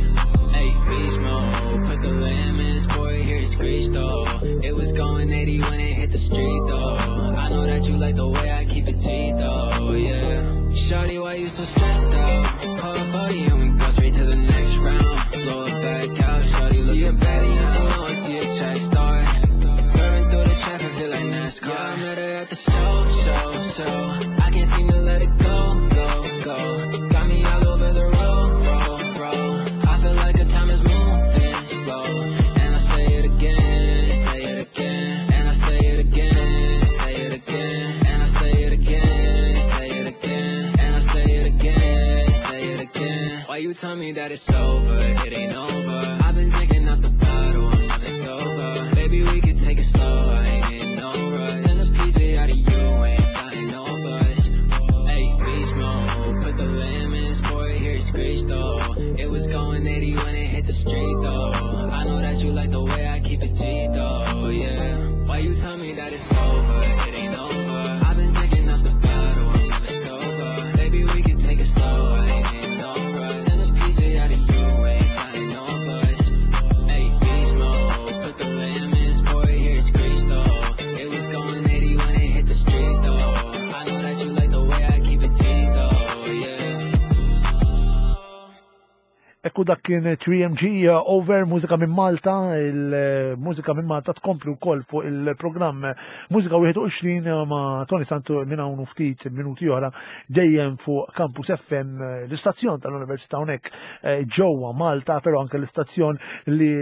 Hey, beast mode, put the lamb in the sport, here it's grease though. It was going eighty when it hit the street though. I know that you like the way I keep it G though, yeah. Shawty, why you so stressed out? Pull a forty and we go straight to the next round. Blow it back out, shawty, see a baddie and she know I see a track star. Serving through the traffic, feel like NASCAR. Yeah, I met her at the show, show, show. I can't seem to let it go, go, go. Got me all over the road, road, road. I feel like the time is moving slow. And I say it again, say it again. And I say it again, say it again. And I say it again, say it again. And I say it again, say it again. Why you tell me that it's over? It ain't over. I've been drinking out the bottle, I'm never sober. Baby, we can take it slow, I ain't in no rush. Send a P J out of you, ain't flying no bus. Hey, beast mode, put the lamb in the sport, here it's grease though. It was going eighty when it hit the street though. I know that you like the way I keep it G though. me that it's over, it ain't over. I've been drinking up the bottle, I'm never sober. Baby, we can take it slow, I ain't in no rush. Send a P J out of you, ain't flying no bus. Hey, beast mode, put the lamb in sport, here's Cristo. It was going eighty when it hit the street though. I know that you like the way I keep it G though, yeah.
Ekku, dak kien three M G, uh, Over, mużika minn Malta. Il-mużika minn Malta tkompli wkoll fuq il-programm Mużika wieħed u għoxrin ma' Tony Santu minn hawn u ftit minuti oħra, dejjem fuq Campus F M, l-istazzjon tal-Università hawnhekk eh, ġewwa Malta, però anke l-istazzjon li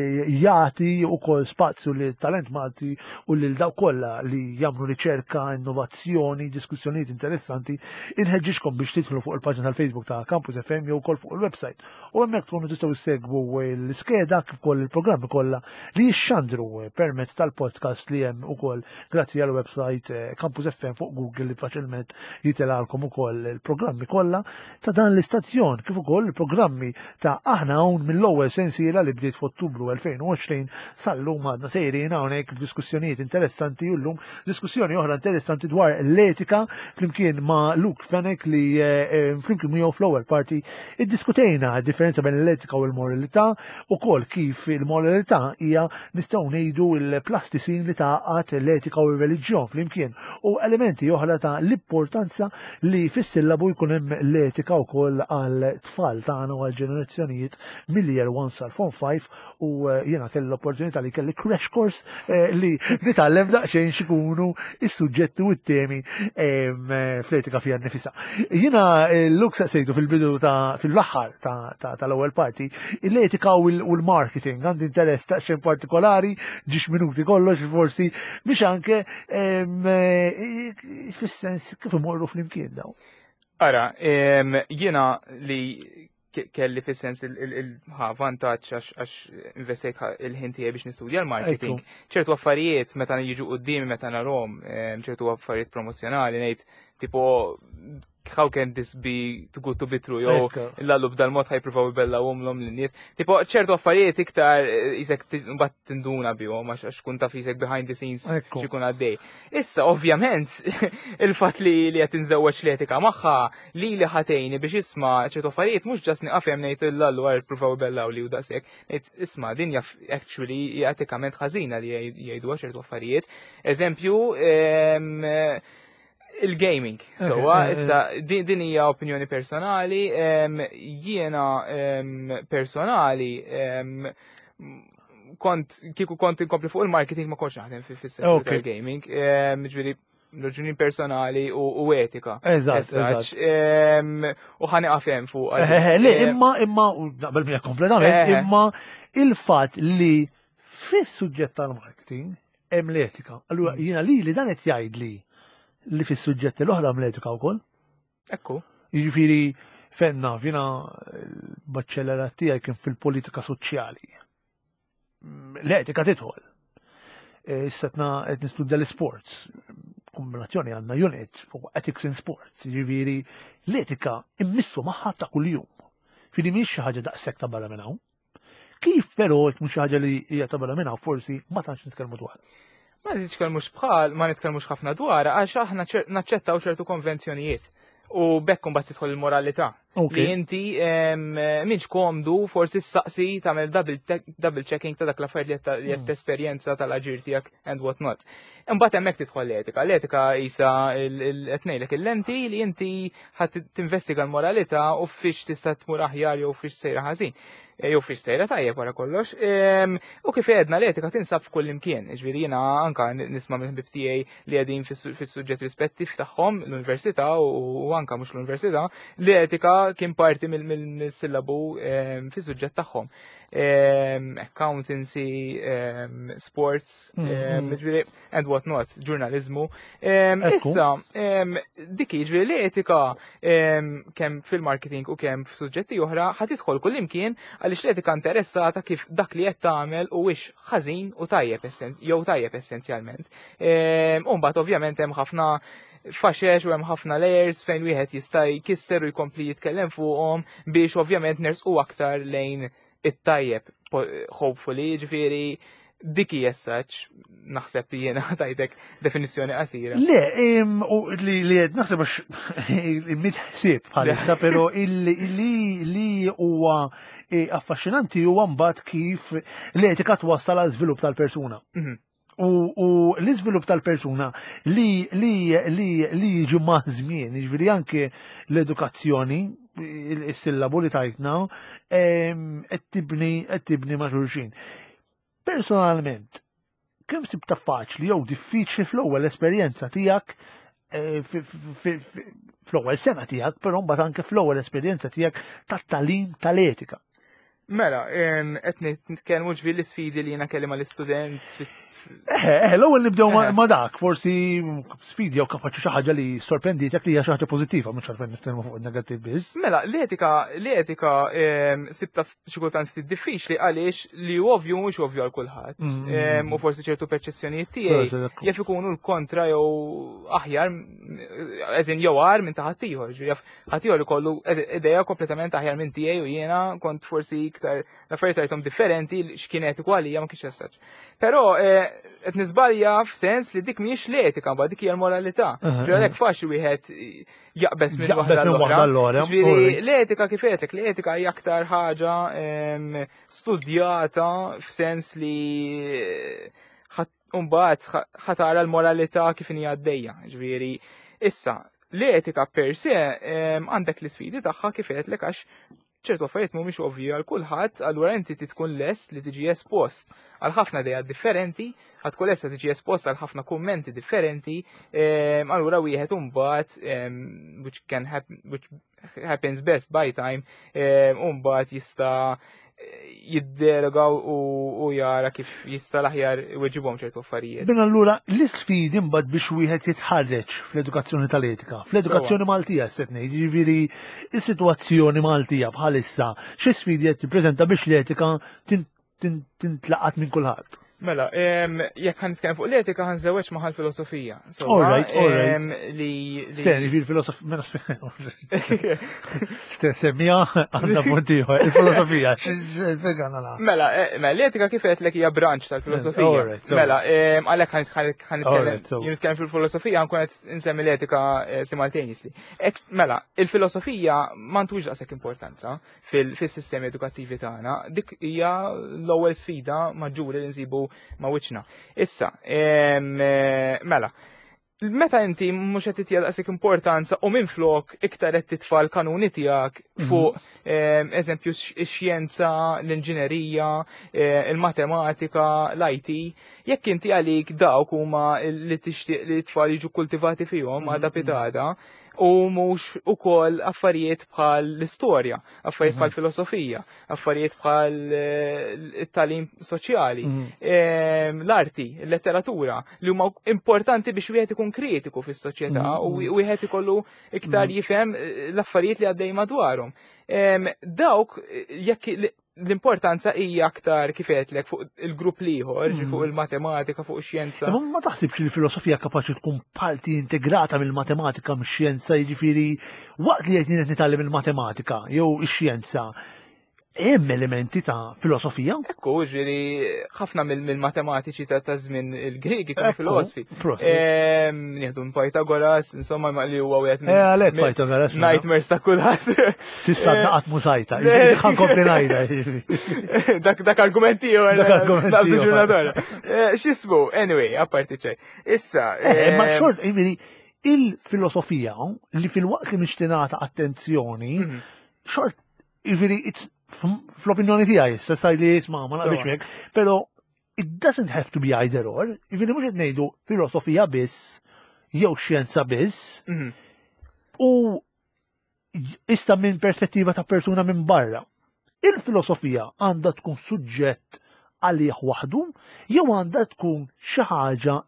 jagħti wkoll spazju li talent Malti u lil dawk kollha li jagħmlu riċerka, innovazzjoni, diskussjonijiet interessanti. Inħeġġixkom biex tidħlu fuq il-paġna tal-Facebook ta' Campus F M jew ukoll fuq il-website. U hemmhekk tkunu tistgħu ssegwu l-iskeda kif ukoll il-programmi kollha li jixxandru permezz tal-podcast li hemm ukoll grazzi għal website eh, Campus F M fuq Google, li faċilment jitelgħalkom ukoll il-programmi kollha ta' dan l-istazzjon kif ukoll il-programmi ta' Aħna Hawn mill-ewwel sensiela li bdiet f'Ottubru elfejn u għoxrin sal-lum. Għadna sejrin hawnhekk b'diskussjonijiet interessanti u llum diskussjoni oħra interessanti dwar l-etika flimkien ma' Luke Fenech, li eh, eh, flimkien miegħu fl-ewwel parti iddiskutejna d-differenza bejn l-etika u l-moralità u kol kif il-moralità hija, nistgħu ngħidu, il-plastisin li tgħaqqad l-etika u r-reliġjon flimkien u elementi oħra ta' l-importanza li fis-sillabu jkun hemm l-etika wkoll għal tfal tagħna u għal ġenerazzjonijiet mill-year one sal form five. U eh, jiena kelli l-opportunità li kelli crash course eh, li nitgħallem daqsxejn x'ikunu is-suġġetti u t-temi em, eh, fl-etika fija nnifisha. Jiena eh, Luke saqsejtu fil-bidu ta' fil-aħħar ta' ta' tal-ewwel parti l-etika u l- u l-marketing. Għandi interess daqsxejn partikolari, ġiex minuti kollox forsi, biex anke em, eh, fis-sens kif imorru flimkien daw.
Ara, em, jiena li ke- kelli fis-sens il-ħa vantaġġ għax għax investejt ħa- il-ħin tiegħi biex nistudja l-marketing. Ċertu affarijiet meta jiġu quddiemi, meta narhom, em, ċertu affarijiet promozzjonali, ngħid tipo, "How can this be too good to be true?" jew
Ekku.
"Lallu b'dal-mod ħa jippruvaw ibellgħuhomlhom lin-nies." Tipo ċertu affarijiet iktar eh, isek mbagħad tinduna bihom għax għax kun taf isek behind the scenes
Ekku.
x'ikun għaddej. Issa ovvjament il-fatt li li qed inżewweġ l-etika magħha li li ħa tgħinni biex, isma', ċertu affarijiet mhux just nieqaf hemm ngħid, "Lallu għar pruvaw ibellaw li u daqshekk." Ngħid, "Isma', din jaf actually hija etikament ħażina li jgħidu ċertu affarijiet." Eżempju, em, il-gaming. Sewwa,
eh, eh.
issa din din hija opinjoni personali, em, jiena em, personali em, kont kieku kont inkompli fuq il-marketing ma kontx naħdem fi fis-settur
Ok.
tal-gaming, em, ġifieri raġuni personali u, u etika.
Eżatt,
As such,
eżatt.
em, U ħa nieqaf hemm fuq.
Eh, eh, Le, imma, imma, u naqbel miegħek kompletament,
Eh, eh.
imma il-fatt li fis-suġġett tal-marketing hemm l-etika. Allura jiena li li dan qed jgħid li li fis-suġġetti l-oħra hemm l-etika wkoll.
Ekku.
Jiġifieri fenna, jiena l-baċċellerat tiegħi kien fil-politika soċjali. Mm, L-etika tidħol. E, Issa tna qed nistudja l-sports. Kombinazzjoni għandna unit fuq ethics in sports. Jiġifieri l-etika immissu magħha ta' kuljum. Fili mhix xi ħaġa daqshekk ta' barra minn hawn. Kif però jekk mhux xi ħaġa li hija ta' barra minn hawn, forsi ma tantx nitkellmu dwar.
Ma nitkellmux bħal, ma nitkellmux ħafna dwar, għax aħna ċer- naċċettaw ċertu konvenzjonijiet. U bekk mbagħad tidħol il-moralità.
Ok.
Li inti em, minx komdu forsi ssaqsi, tagħmel double, te- double checking ta' dak l-affarijiet li qed- li qed
Mm.
tesperjenza tal-aġir tiegħek and what not. Imbagħad hemmhekk tidħol l-etika. L-etika isa qed ngħidlek il-lenti li inti ħadd tinvestiga l-moralità u fiex tista' tmur aħjar jew fiex sejra ħażin. E, Jew fiex sejra tajjeb wara kollox. Em, U kif għedna, l-etika tinsab f'kull imkien. Ġifieri jiena anka nisma' minn ħbib tiegħi li qegħdin fis-suġġett rispettiv tagħhom l-università u u anka mhux l-università, l-etika kien parti mill- mill- mill-sillabu em, fis-suġġett tagħhom. Em, Accountancy, em, sports,
Mm,
em,
mm.
ġifieri, and what not, ġurnalizmu. Em,
Ekku.
Issa, em, dik jiġifieri l-etika em, kemm fil-marketing u kemm f'suġġetti oħra ħa tidħol kull imkien, għaliex l-etika interessata kif dak li qed tagħmel huwiex ħażin u tajjeb essen- jew tajjeb essenzjalment. Em, U mbagħad ovvjament hemm ħafna faxex u hemm ħafna layers fejn wieħed jista' jkisser u jkompli jitkellem fuqhom biex ovvjament nersqu aktar lejn it-tajjeb, po- hopefully, ġifieri Dik hija as such, naħseb li jiena tajtek definizzjoni qasira.
Le, em, u li li qed naħseb għax mitħsib bħalissa, però illi li li huwa eh, affaxxinanti huwa mbagħad kif l-etika twassal għal żvilupp tal-persuna.
Mhm.
U, u l-iżvilupp tal-persuna li li li li jiġi ma' żmien, jiġifieri anke l-edukazzjoni, il-sillabu li tajtna, em, qed tibni qed tibni ma' xulxin. Personalment, kemm sibta faċli jew diffiċli fl-ewwel esperjenza tiegħek eh, fi- fi- fi- fl-ewwel sena tiegħek, però mbagħad anke fl-ewwel esperjenza tiegħek tat-tagħlim tal-etika.
Mela, em, qed nitkellmu ġifieri l-isfidi li jiena kelli mal-istudent fit-
Eh, eh, l-ewwel nibdew ma-
Eh.
ma dak, forsi sfidi jew kapaċi xi ħaġa li sorprenditek li hija xi ħaġa pożittiva, mhux għalfejn nitkellmu fuq negattiv biss.
Mela, l-etika, l-etika em, sibta xi kultant ftit diffiċli għaliex li hu ovvju mhux ovvju għal kulħadd.
Mm.
Em, U forsi ċertu perċezzjonijiet tiegħi jaf ikunu l-kontra jew aħjar, eżin jew agħar minn ta' ħaddieħor. Ġifieri jaf ħaddieħor ikollu idea kompletament aħjar minn tiegħi u jiena kont forsi iktar l-affarijiet rajthom differenti x'kien etiku għalija ma kienx as such. Però eh, qed niżbalja f'sens li dik mhijiex l-etika, mbagħad dik hija l-moralità.
Aha,
Ġifieri għalhekk faċli wieħed jaqbeż minn
Jaqbeż
waħda
minn waħda
l-oħra.
l-oħra.
Ġifieri
Alright.
l-etika kif għedtlek, l-etika hija aktar ħaġa em, studjata f'sens li mbagħad ħa tara l-moralità kif inhi għaddejja. Ġifieri, issa, l-etika per se em, għandek l-isfidi tagħha kif għedtlek għax ċertu affarijiet mhumiex ovvji għal kulħadd, allura inti tkun lest li tiġi espost għal ħafna idejat differenti, ħa tkun lest li tiġi espost għal ħafna kummenti differenti, em, allura wieħed imbagħad em, which can happen which happens best by time, em, imbagħad jista' jiddelega u, u jara kif jista' l-aħjar iweġibhom ċertu affarijiet.
Bin allura l-isfidi mbagħad biex wieħed jitħarreġ fl-edukazzjoni tal-etika, fl-edukazzjoni Maltija se ngħid, jiġifieri is-sitwazzjoni Maltija bħalissa xi sfidi qed tippreżenta biex l-etika tin- tin- tintlaqat minn kulħadd.
Mela, em, jekk ħa nitkellem fuq l-etika ħa nżewweġ magħha l-filosofija. So,
All right, all right.
em, Li, li
Sen, jiġifieri filosof, mela Semmija għandna punt ieħor, il-filosofija, x'fega nagħla.
Mela, eh, mela, l-etika kif għedtlek hija branch tal-filosofija.
All right, so-
Mela, em, għalhekk ħa
All
nitkellem
right, so-
jien nitkellem fil-filosofija nkun qed insemmi l-etika eh, simultaneously. Ek, mela, il-filosofija m'għandux daqshekk importanza fil- fis-sistemi edukattivi tagħna. Dik hija l-ewwel sfida maġġuri li nsibu ma' wiċċna. Issa, em, eh, mela, meta inti mhux qed titja daqshekk importanza u minflok iktar qed titfa' l-kanuni tiegħek fuq em, eżempju x-xjenza, l-inġinerija, eh, il-matematika, l-I T, jekk inti għalik dawk huma li tixtieq li t-tfal jiġu kultivati fihom għada pitgħada, u mhux ukoll affarijiet bħal l-istorja, affarijiet bħal filosofija, affarijiet bħal eh, it-tagħlim soċjali, em, l-arti, il-letteratura, li huma importanti biex wieħed ikun kritiku fis-soċjetà u wieħed ikollu iktar jifhem eh, l-affarijiet li għaddej madwarhom. Em, Dawk eh, jekk l- l-importanza hija aktar kif għedtlek fuq il-grupp l-ieħor, ġi fuq il-matematika, fuq ix-xjenza.
Imma ma taħsibx li l-filosofija kapaċi tkun parti integrata mill-matematika, mix-xjenza, jiġifieri waqt li qed nitgħallem il-matematika jew ix-xjenza, hemm elementi ta' filosofija?
Ekku, ġifieri, ħafna mill- mill-matematiċi ta' ta' żmien il-Griegi kienu
Ekku,
filosofi.
prosit.
Em, Nieħdu minn Pythagoras, insomma, ma li huwa wieħed
Eh, għalhekk
minn
Pythagoras, mela.
nightmares ta' kulħadd.
S'issa
Eh,
naqat mużajta,
Le.
ħa nkompli ngħidha. Jiġifieri.
dak dak argumenti ieħor.
Dak argument
Dak
ieħor.
ġurnata. Eh, X'ismu, anyway, apparti ċej. Issa,
Eh, ma
em,
xort, jiġifieri, il-filosofija li fil-waqt li mhix tingħata attenzjoni,
Mhm.
xort, jiġifieri, it's- fl-opinjoni tiegħi, issa saj li jisma' ma naqbilx
Sewa.
miegħek, però it doesn't have to be either or, jiġifieri mhux qed ngħidu filosofija biss jew xjenza biss,
mhm.
u issa minn perspettiva ta' persuna minn barra. Il-filosofija għandha tkun suġġett għalih waħdu jew għandha tkun xi ħaġa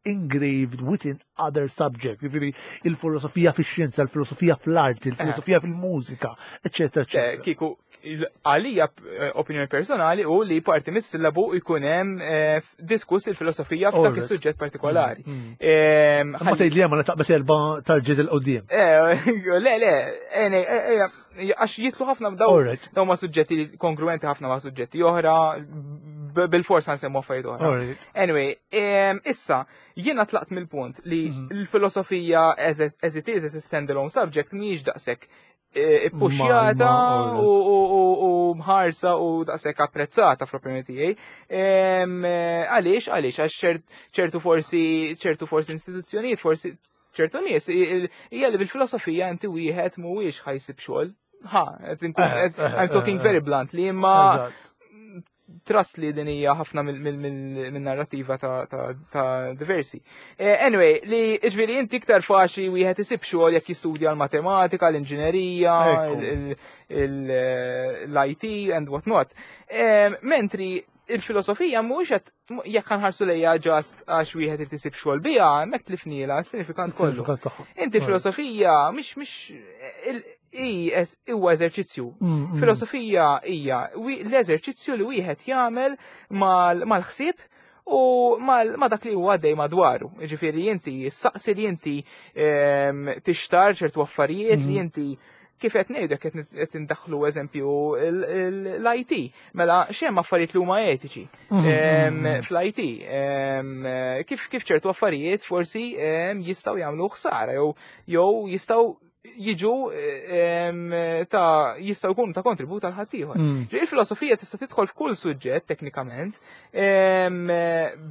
engraved within other subject, jiġifieri il-filosofija fix-xjenza, il-filosofija fl-arti, il-filosofija fil-mużika, eccetera,
Eh,
eccetera.
Kieku, il- għalija eh, opinjoni personali u li parti mis-sillabu jkun hemm eh, diskuss il-filosofija f'dak
Alright.
is-suġġett partikolari.
Mm.
Em,
Ma tgħid li hemm ma taqbes erba' tarġiet 'il quddiem.
Eh, le, le, eh, ne, eh, eh, għax jitlu ħafna daw
Alright.
daw ma' suġġetti kongruenti ħafna ma' suġġetti oħra, Bil-fors nsemmu affarijiet oħra. Anyway, issa, jiena tlaqt mill-punt li mhm. l-filosofija as, as it is, as a standalone subject, mhijiex daqshekk eh, ippuxjata u mħarsa u daqshekk apprezzata fl-opinjoni tiegħi. Għaliex, għaliex, għax ċertu forsi ċertu forsi istituzzjonijiet, forsi ċertu nies hija li bil-filosofija inti wieħed mhuwiex ħa jsib xogħol. Ha, I'm talking very bluntly, imma trust li din hija ħafna mill-narrativa ta' diversi. Eh, anyway, li ġifieri inti iktar faċli wieħed isib xogħol jekk jistudja l-matematika, l-inġinerija, l-I T and what not. Mentri il-filosofija mhux qed jekk nħarsu lejha just għax wieħed irid isib xogħol biha, hemmhekk tlifnielha s-sinifikant kollu. Inti filosofija mhix mhix huwa eżerċizzju. Mm, mm. Filosofija hija l-eżerċizzju li wieħed jagħmel mal-ħsieb u ma dak li huwa għaddej madwaru. Ġifieri inti saqsi li inti ehm, tixtar ċertu affarijiet li mm. inti kif qed ngħidu qed indaħħlu eżempju l-I T. Mela x'hemm affarijiet li huma etiċi mhm, mhm, mhm. fl-I T. Kif kif ċertu affarijiet forsi jistgħu jagħmlu ħsara jew jew jistgħu jiġu ta' jistgħu jkunu ta' kontribut għal ħaddieħor. Mm. Il-filosofija tista' tidħol f'kull suġġett teknikament,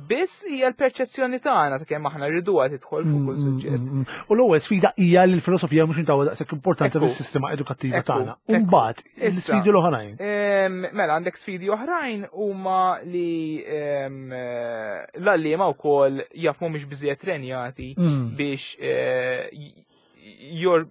biss hija l-perċezzjoni tagħna ta' kemm aħna rriduha tidħol fuq kull mm, suġġett.
Mm, U l-ewwel sfida hija li l-filosofija mhux intawha daqshekk importanza fis-sistema edukattiva tagħna. U mbagħad l-sfidi l-oħrajn.
Mela għandek sfidi oħrajn huma li l-għalliema wkoll jaf mhumiex biżejjed trenjati biex eh, jor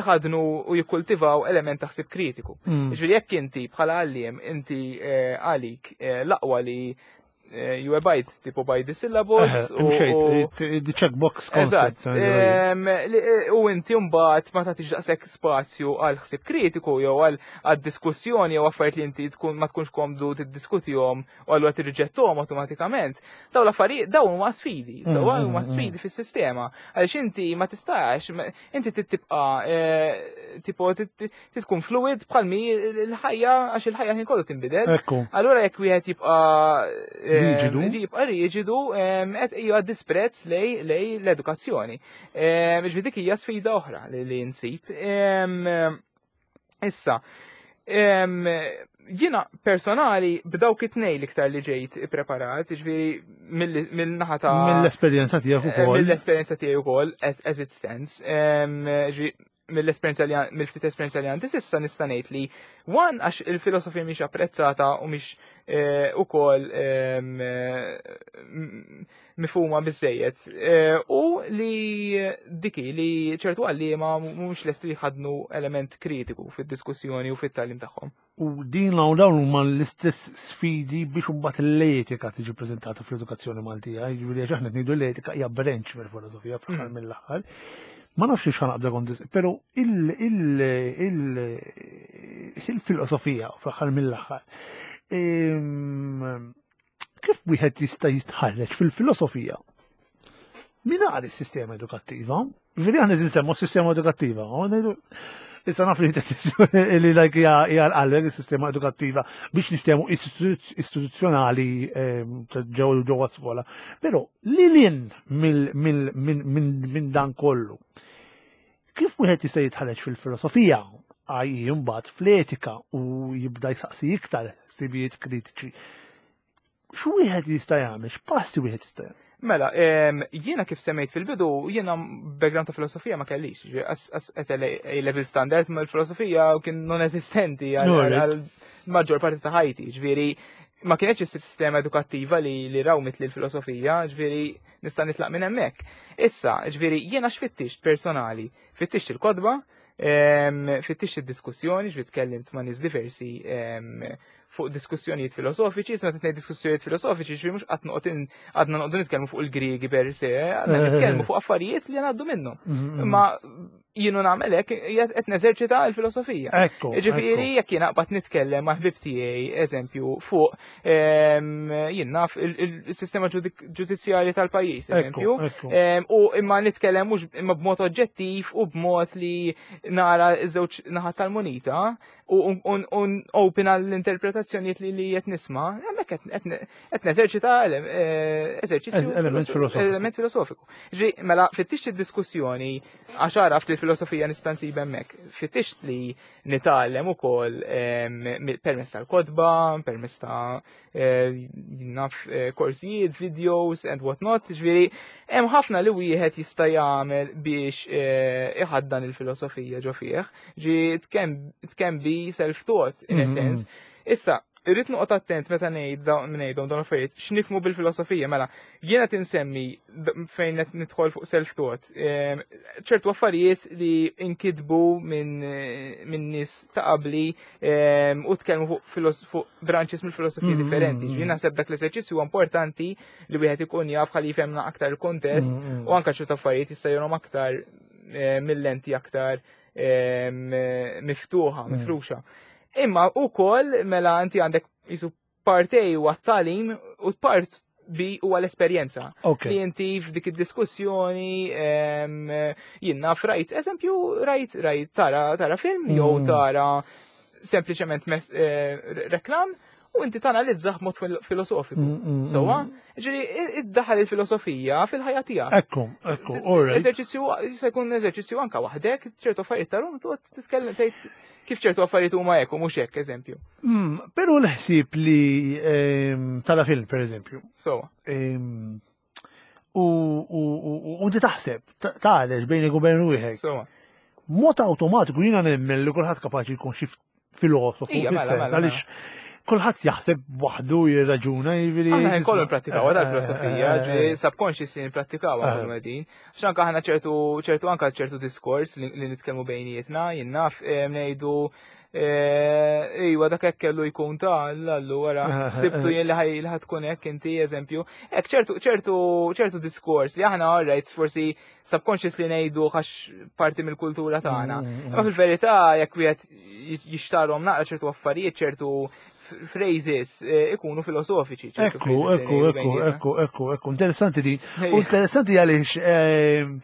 iħadnu u jikkultivaw element ta' ħsib kritiku. Mm. Ġifieri jekk inti bħala għalliem inti eh, għalik eh, l-aqwa li eh, you abide tipo by the syllabus.
Imxejt, the checkbox
concept. U inti mbagħad ma tagħtix daqshekk spazju għal ħsieb kritiku jew għal diskussjoni jew affarijiet li inti tkun ma tkunx komdu tiddiskutihom u allura tirriġettuhom awtomatikament. Dawn l-affarijiet dawn huma sfidi, so mm, huma mm, sfidi mm. fis-sistema. Għaliex inti ma tistax, inti tibqa' eh, tipo tkun fluid bħalmi l-ħajja, għax il-ħajja ħin kollu tinbidel. Allura jekk wieħed jibqa'
riġidu,
jibqa' riġidu qed hija disprezz lej lej l-edukazzjoni. Ġifieri dik hija sfida oħra li nsib. Issa, jiena personali b'dawk it-tnej l-iktar li ġejt ippreparat, ġifieri mill-naħa ta'
Mill-esperjenza tiegħek
eh, ukoll. Mill-esperjenza tiegħi ukoll, as, as it stands. Ġifieri mill-esperjenza li mill-ftit esperjenza li għandi s'issa nista' ngħid li one, għax il-filosofija mhix apprezzata u mhix eh, ukoll mifhuma biżejjed eh, u li diki li ċertu għalliema mhux lesti li jħadnu element kritiku fid-diskussjoni u fit-tagħlim tagħhom.
U din l dawn huma l-istess sfidi biex imbagħad l-etika tiġi preżentata fl-edukazzjoni Maltija. Jiġifieri għax aħna ngħidu l-etika hija branch mill-filosofija fl-aħħar mm. mill-aħħar. Ma nafx x'ħa naqbda kont, però il-filosofija fl-aħħar mill-aħħar. Kif wieħed jista' jitħarreġ fil-filosofija mingħajr is-sistema edukattiva? Ġifieri aħna nsemmu s-sistema edukattiva. Issa naf li li like hija l-qalbek is-sistema edukattiva biex niftehmu istituzzjonali ġew ġewwa skola. Però li lin minn dan kollu, kif wieħed jista' jitħarreġ fil-filosofija għaj imbagħad fl-etika u jibda jsaqsi iktar ħsibijiet kritiċi? X'wieħed jista' jagħmel? X'passi wieħed jista' jagħmel?
Mela, jiena kif semmejt fil-bidu, jiena background ta' filosofija ma kellix. As A level standard ma l-filosofija kien non esistenti għal maġġor parti ta' ħajti. Ġifieri, ma kienx is-sistema edukattiva li li rawmit li l-filosofija, ġifieri nista' nitlaq minn hemmhekk. Issa, ġifieri jiena x'fittixt personali? Fittixt il-kotba, fittixt id-diskussjoni, ġifieri tkellimt ma' nies diversi fuq diskussjonijiet filosofiċi, sa tnejn diskussjonijiet filosofiċi, ġifieri mhux qatt noqgħod għadna noqogħdu nitkellmu fuq il-Griegi per se, għadna nitkellmu fuq affarijiet li għaddu minnhom. Mhm, mhm. Imma Jien u nagħmel hekk qed neżerċita l-filosofija.
Ekku.
Ġifieri jekk jiena qbad nitkellem ma' ħbib tiegħi, eżempju, fuq ehm, jien naf il-sistema ġudizzjarja tal-pajjiż, eżempju, ehm, u imma nitkellem mhux imma b'mod oġġettiv u b'mod li nara ż-żewġ naħat tal-munita u open għall-interpretazzjonijiet li li qed nisma', hemmhekk qed neżerċita eh, eżerċizzju
element
filosofiku. Ġi, mela fittix id-diskussjoni għax għaraft li l-filosofija nista' nsib hemmhekk. Fittix li nitgħallem ukoll permezz tal-kotba, permezz ta' eh, naf eh, korsijiet, videos and what not, ġifieri hemm ħafna li wieħed jista' jagħmel biex iħaddan il-filosofija ġo fih. Ġi it can be self-taught in a mm-hmm. sense. Issa, irrid noqgħod attent meta ngħid ngħidhom dawn affarijiet x'nifhmu bil-filosofija. Mela jiena tinsemmi fejn qed nidħol fuq self-taught ċertu affarijiet li inkitbu minn min nies ta' qabli u tkellmu fuq fuq branches mill-filosofija mm-hmm. differenti. Jien naħseb dak l-eżerċizzju huwa importanti li wieħed ikun jaf ħalli jifhemna aktar il-kontest mm-hmm. u anke ċertu affarijiet jista' jurhom aktar eh, mill-lenti aktar miftuħa, mm. mifruxa. Imma u koll mela inti għandek jisu part A u għat-tagħlim u part B huwa l-esperjenza. Li inti f'dik id-diskussjoni jien naf rajt, eżempju, rajt, rajt tara, tara film jew mm. tara sempliċement eh, reklam u inti tanalizzah mod filosofiku. Mm, mm, Sowa, ġiri, iddaħal il-filosofija fil-ħajja tiegħek.
Ekku, ekku, all right.
Eżerċizzju jista' jkun eżerċizzju anka waħdek, ċertu affarijiet tarum, titkellem tgħid kif ċertu affarijiet huma hekk u mhux hekk, eżempju.
Mm, Però l-ħsieb li ehm, tara film, per eżempju.
Sowa.
Ehm, U u- u inti taħseb, tgħalex bejnek u bejn ruħek.
Sowa.
Mod awtomatiku jiena nemmen li kulħadd kapaċi jkun xi filosofu
Ija, mela,
fis-sens,
mela,
għaliex kulħadd jaħseb waħdu, jirraġuna, jiġifieri.
Aħna nkollu npratikaw għada l-filosofija,
Eh, eh, eh,
subconsciously npratikaw
Eh.
għan qegħdin. Għax anka aħna ċertu ċertu anka ċertu diskors li li nitkellmu bejnietna, jien naf eh, ngħidu eh, iwa dak hekk kellu jkun ta' allura
Eh,
sibtu
eh.
jien li ħaj li ħa tkun hekk inti, eżempju. Hekk ċertu ċertu ċertu diskors li aħna, alright, forsi subconsciously ngħidu għax parti mill-kultura tagħna.
Mm, mm,
Imma fil-verità jekk wieħed jixtarhom naqra ċertu affarijiet, ċertu phrases eh, ikunu filosofiċi, ċertu
Ekku,
phrases li
ekku,
ngħidu
ekku,
bejnietna.
ekku, ekku, ekku, interessanti di.
Ejja.
U interessanti għaliex ehm,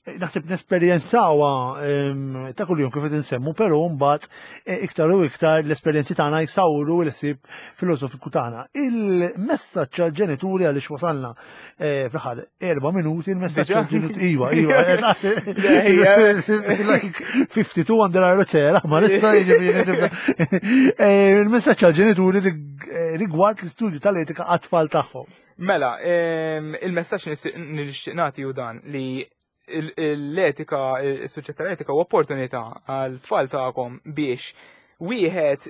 naħseb nesperjenzawha ehm, ta' kuljum kif qed insemmu, però mbagħad eh, iktar u iktar l-esperjenzi tagħna jsawru l-ħsieb filosofiku tagħna. Il-messaġġ għall-ġenituri, għaliex wasalna eh, fl-aħħar erba' minuti, il-messaġġ
Diġà?
għall-ġenituri. Iva, iva.
Ejja.
Like fifty-two under arroċera, ma nista' jiġifieri nibda. Eh, Il-messaġġ għall-ġenituri rig- eh, rigward l-istudju tal-etika għat-tfal tagħhom.
Mela, ehm, il-messaġġ nixtieq nagħti hu dan li il- l-etika, il-suġġett tal-etika huwa opportunità għal tfal tagħkom biex wieħed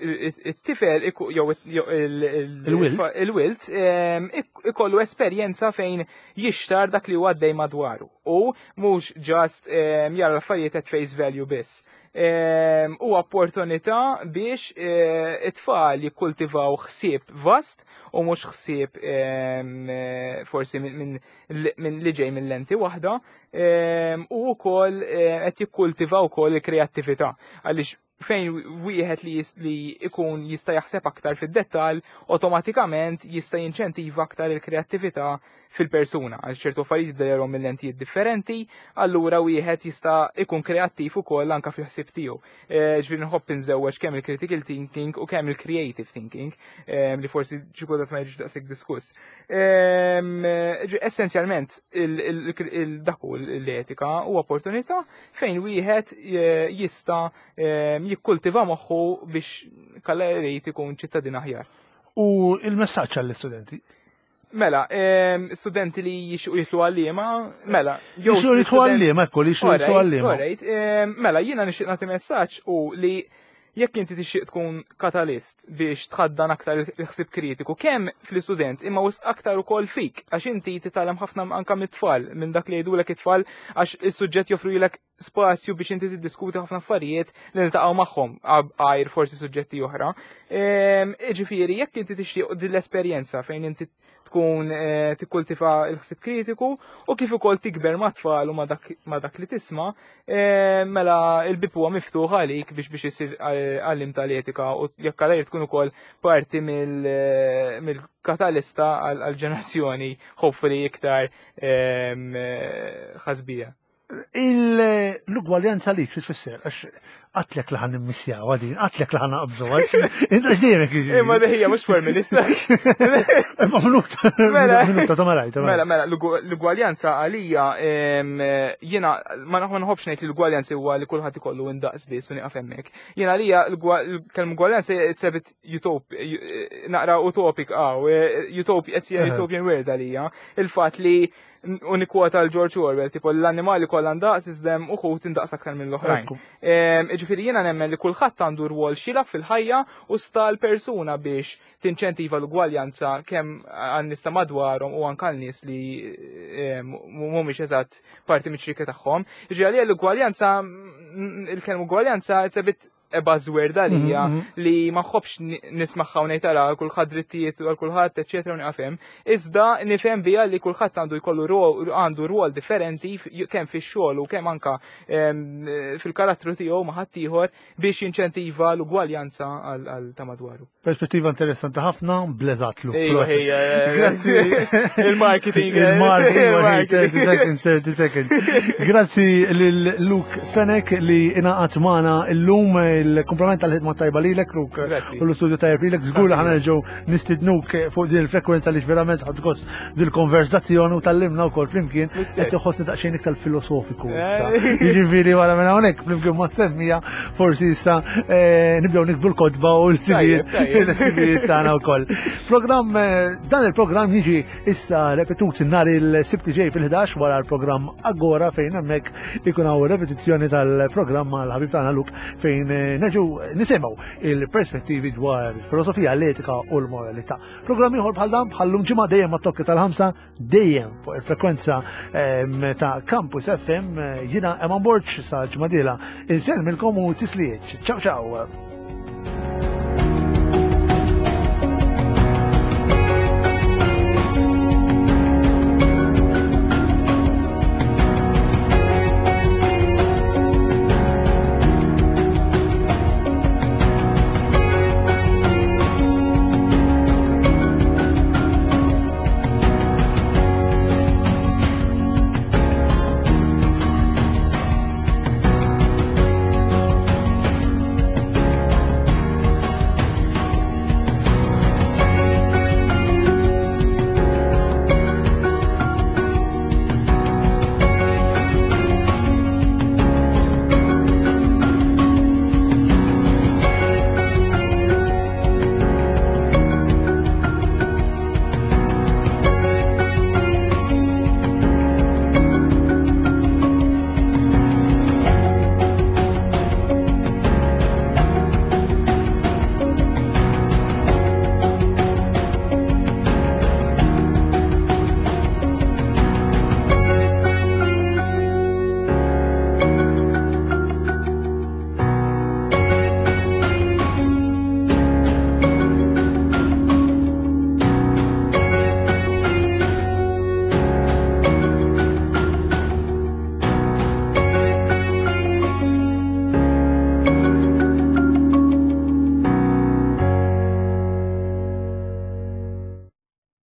it-tifel iku- jew jew il- il-
Il-wild.
il-wild ehm, ik- ikollu esperjenza fejn jixtar dak li huwa għaddej madwaru u mhux just ehm, jara l-affarijiet at face value biss. Ehm, U opportunità biex eh, it-tfal jikkultivaw ħsieb vast u mhux ħsieb ehm, eh, forsi minn min, min li ġej minn lenti waħda ehm, u wkoll eh, qed jikkultivaw ukoll il-kreattività, għaliex fejn wieħed li, jis- li ikun jista' jaħseb aktar fid-dettall, awtomatikament jista' jinċentiva aktar il-kreattività fil-persuna. Għal ċertu affarijiet jidherhom minn lentijiet differenti, allura wieħed jista' ikun kreattiv ukoll anka fil-ħsieb tiegħu. Eh, Ġifieri nħobb inżewweġ kemm il-critical thinking u kemm il-creative thinking, eh, li forsi xi kultant ma jiġix daqshekk diskuss. Ehm, ġi- Essenzjalment il- il- il- dak hu l-etika u opportunità fejn wieħed eh, jista' ehm, jikkultiva moħħu biex kalla jrid ikun ċittadin aħjar.
U il-messaġġ għall-istudenti.
Mela, ehm, studenti li jixtiequ jidħlu għalliema, mela, jew
Jixtiequ jidħlu
student-
għalliema, ekku, li jixtiequ jidħlu
Alright,
għalliema.
alright, ehm, mela, jiena nixtieq nagħti messaġġ u li jekk inti tixtieq tkun katalist biex tħaddan aktar il-ħsieb kritiku kemm fl-istudent imma wisq aktar ukoll fik, għax inti titgħallem ħafna anka mit-tfal, minn dak li jgħidulek it-tfal, għax is-suġġett joffrulek spazju biex inti tiddiskuti ħafna affarijiet li niltaqgħu magħhom għajr forsi suġġetti oħra. Ehm, Ġifieri jekk inti tixtieq din l-esperjenza fejn inti tkun eh, tikkultiva l-ħsib kritiku u kif ukoll tikber ma' tfal u ma' dak ma' dak li tisma', eh, mela il-bib huwa miftuħ għalik biex biex isir eh, għallim tal-etika u jekk għalajr tkun ukoll parti mill- eh, mill-katalista għal-ġenerazzjoni hopefully iktar em, eh, ħasbija.
L-ugwaljanza li xi tfisser? Għax għedtlek li ħa nimmissjaw għadin, għedtlek li ħa naqbżu, inta ġdejmek.
Imma deħija mhux formalista.
Imma minuta,
Mela.
minuta ta' malajt.
Mela, mela, l-ugu- l-ugwaljanza għalija em, jiena ma ma nħobbx ngħid li l-ugwaljanza huwa li kulħadd ikollu indaqs biss u nieqaf hemmhekk. Jiena għalija l-kelma ugwaljanza it's a bit utop, naqra utopik għaw, utop, it's a utopian word għalija. Il-fatt li u nikkwota l-George Orwell, tipo l-annimali kollha ndaqs iżda hemm uħud indaqs aktar mill-oħrajn. Em, Ġifieri jiena nemmen li kulħadd għandu rwol x'jilgħab fil-ħajja u sta l-persuna biex tinċentiva l-ugwaljanza kemm għan-nies ta' madwarhom u anke għal-nies li em, mhumiex eżatt parti miċ-ċirka tagħhom. Ġifieri għalija l-ugwaljanza, mm, il-kelma ugwaljanza it's a bit a buzzword għalija
Mhm, mhm.
li ma nħobbx ni- nismagħha u ngħid ara kulħadd drittijiet għal kulħadd eċetera u nieqaf hemm. Iżda nifhem biha li kulħadd għandu jkollu rol- għandu rwol differenti f- kemm fix-xogħol u kemm anka em, fil-karattru tiegħu ma' ħaddieħor biex jinċentiva l-ugwaljanza għal għal ta' madwaru.
Perspettiva interessanti ħafna, blezatlu.
Ejwa, ejja,
Grazzi.
Il-marketing. eh,
Il-marketing, thirty seconds, thirty seconds. Grazzi lil Luke Fenech li ingħaqad magħna illum, il-komplement tal-ħidma tajba lilek, Luke,
Grazzi.
u l-istudju tajjeb lilek, żgur li ħa nerġgħu nistidnuk fuq din il-frekwenza li verament ħadt gost dil-konverzazzjoni u tgħallimna wkoll flimkien
L-istess.
qed iħossni daqsxejn iktar filosofiku issa.
Eh.
Jiġifieri wara minn hawnhekk flimkien ma' semmija forsi issa eh, nibdew niktbu l-kotba u l-sibijiet
Tajjeb, tajjeb.
l-sibijiet tagħna wkoll. Programm eh, dan il-programm jiġi issa repetut nhar il-Sibt ġej fil-ħdax wara l-programm Agora, fejn hemmhekk ikun hawn repetizzjoni tal-programm mal-ħabib tagħna Luke, fejn eh, neġu nisimgħu il-perspettivi dwar filosofija, l-etika u l-moralità. Programm ieħor bħal dan bħallum ġimgħa dejjem mat-tokki tal-ħamsa, dejjem fuq il-frekwenza em, ta' Campus F M. eh, Jiena Eman Borg, sa ġimgħa dieħla insellmilkom u tislijiet. Ciao ciao.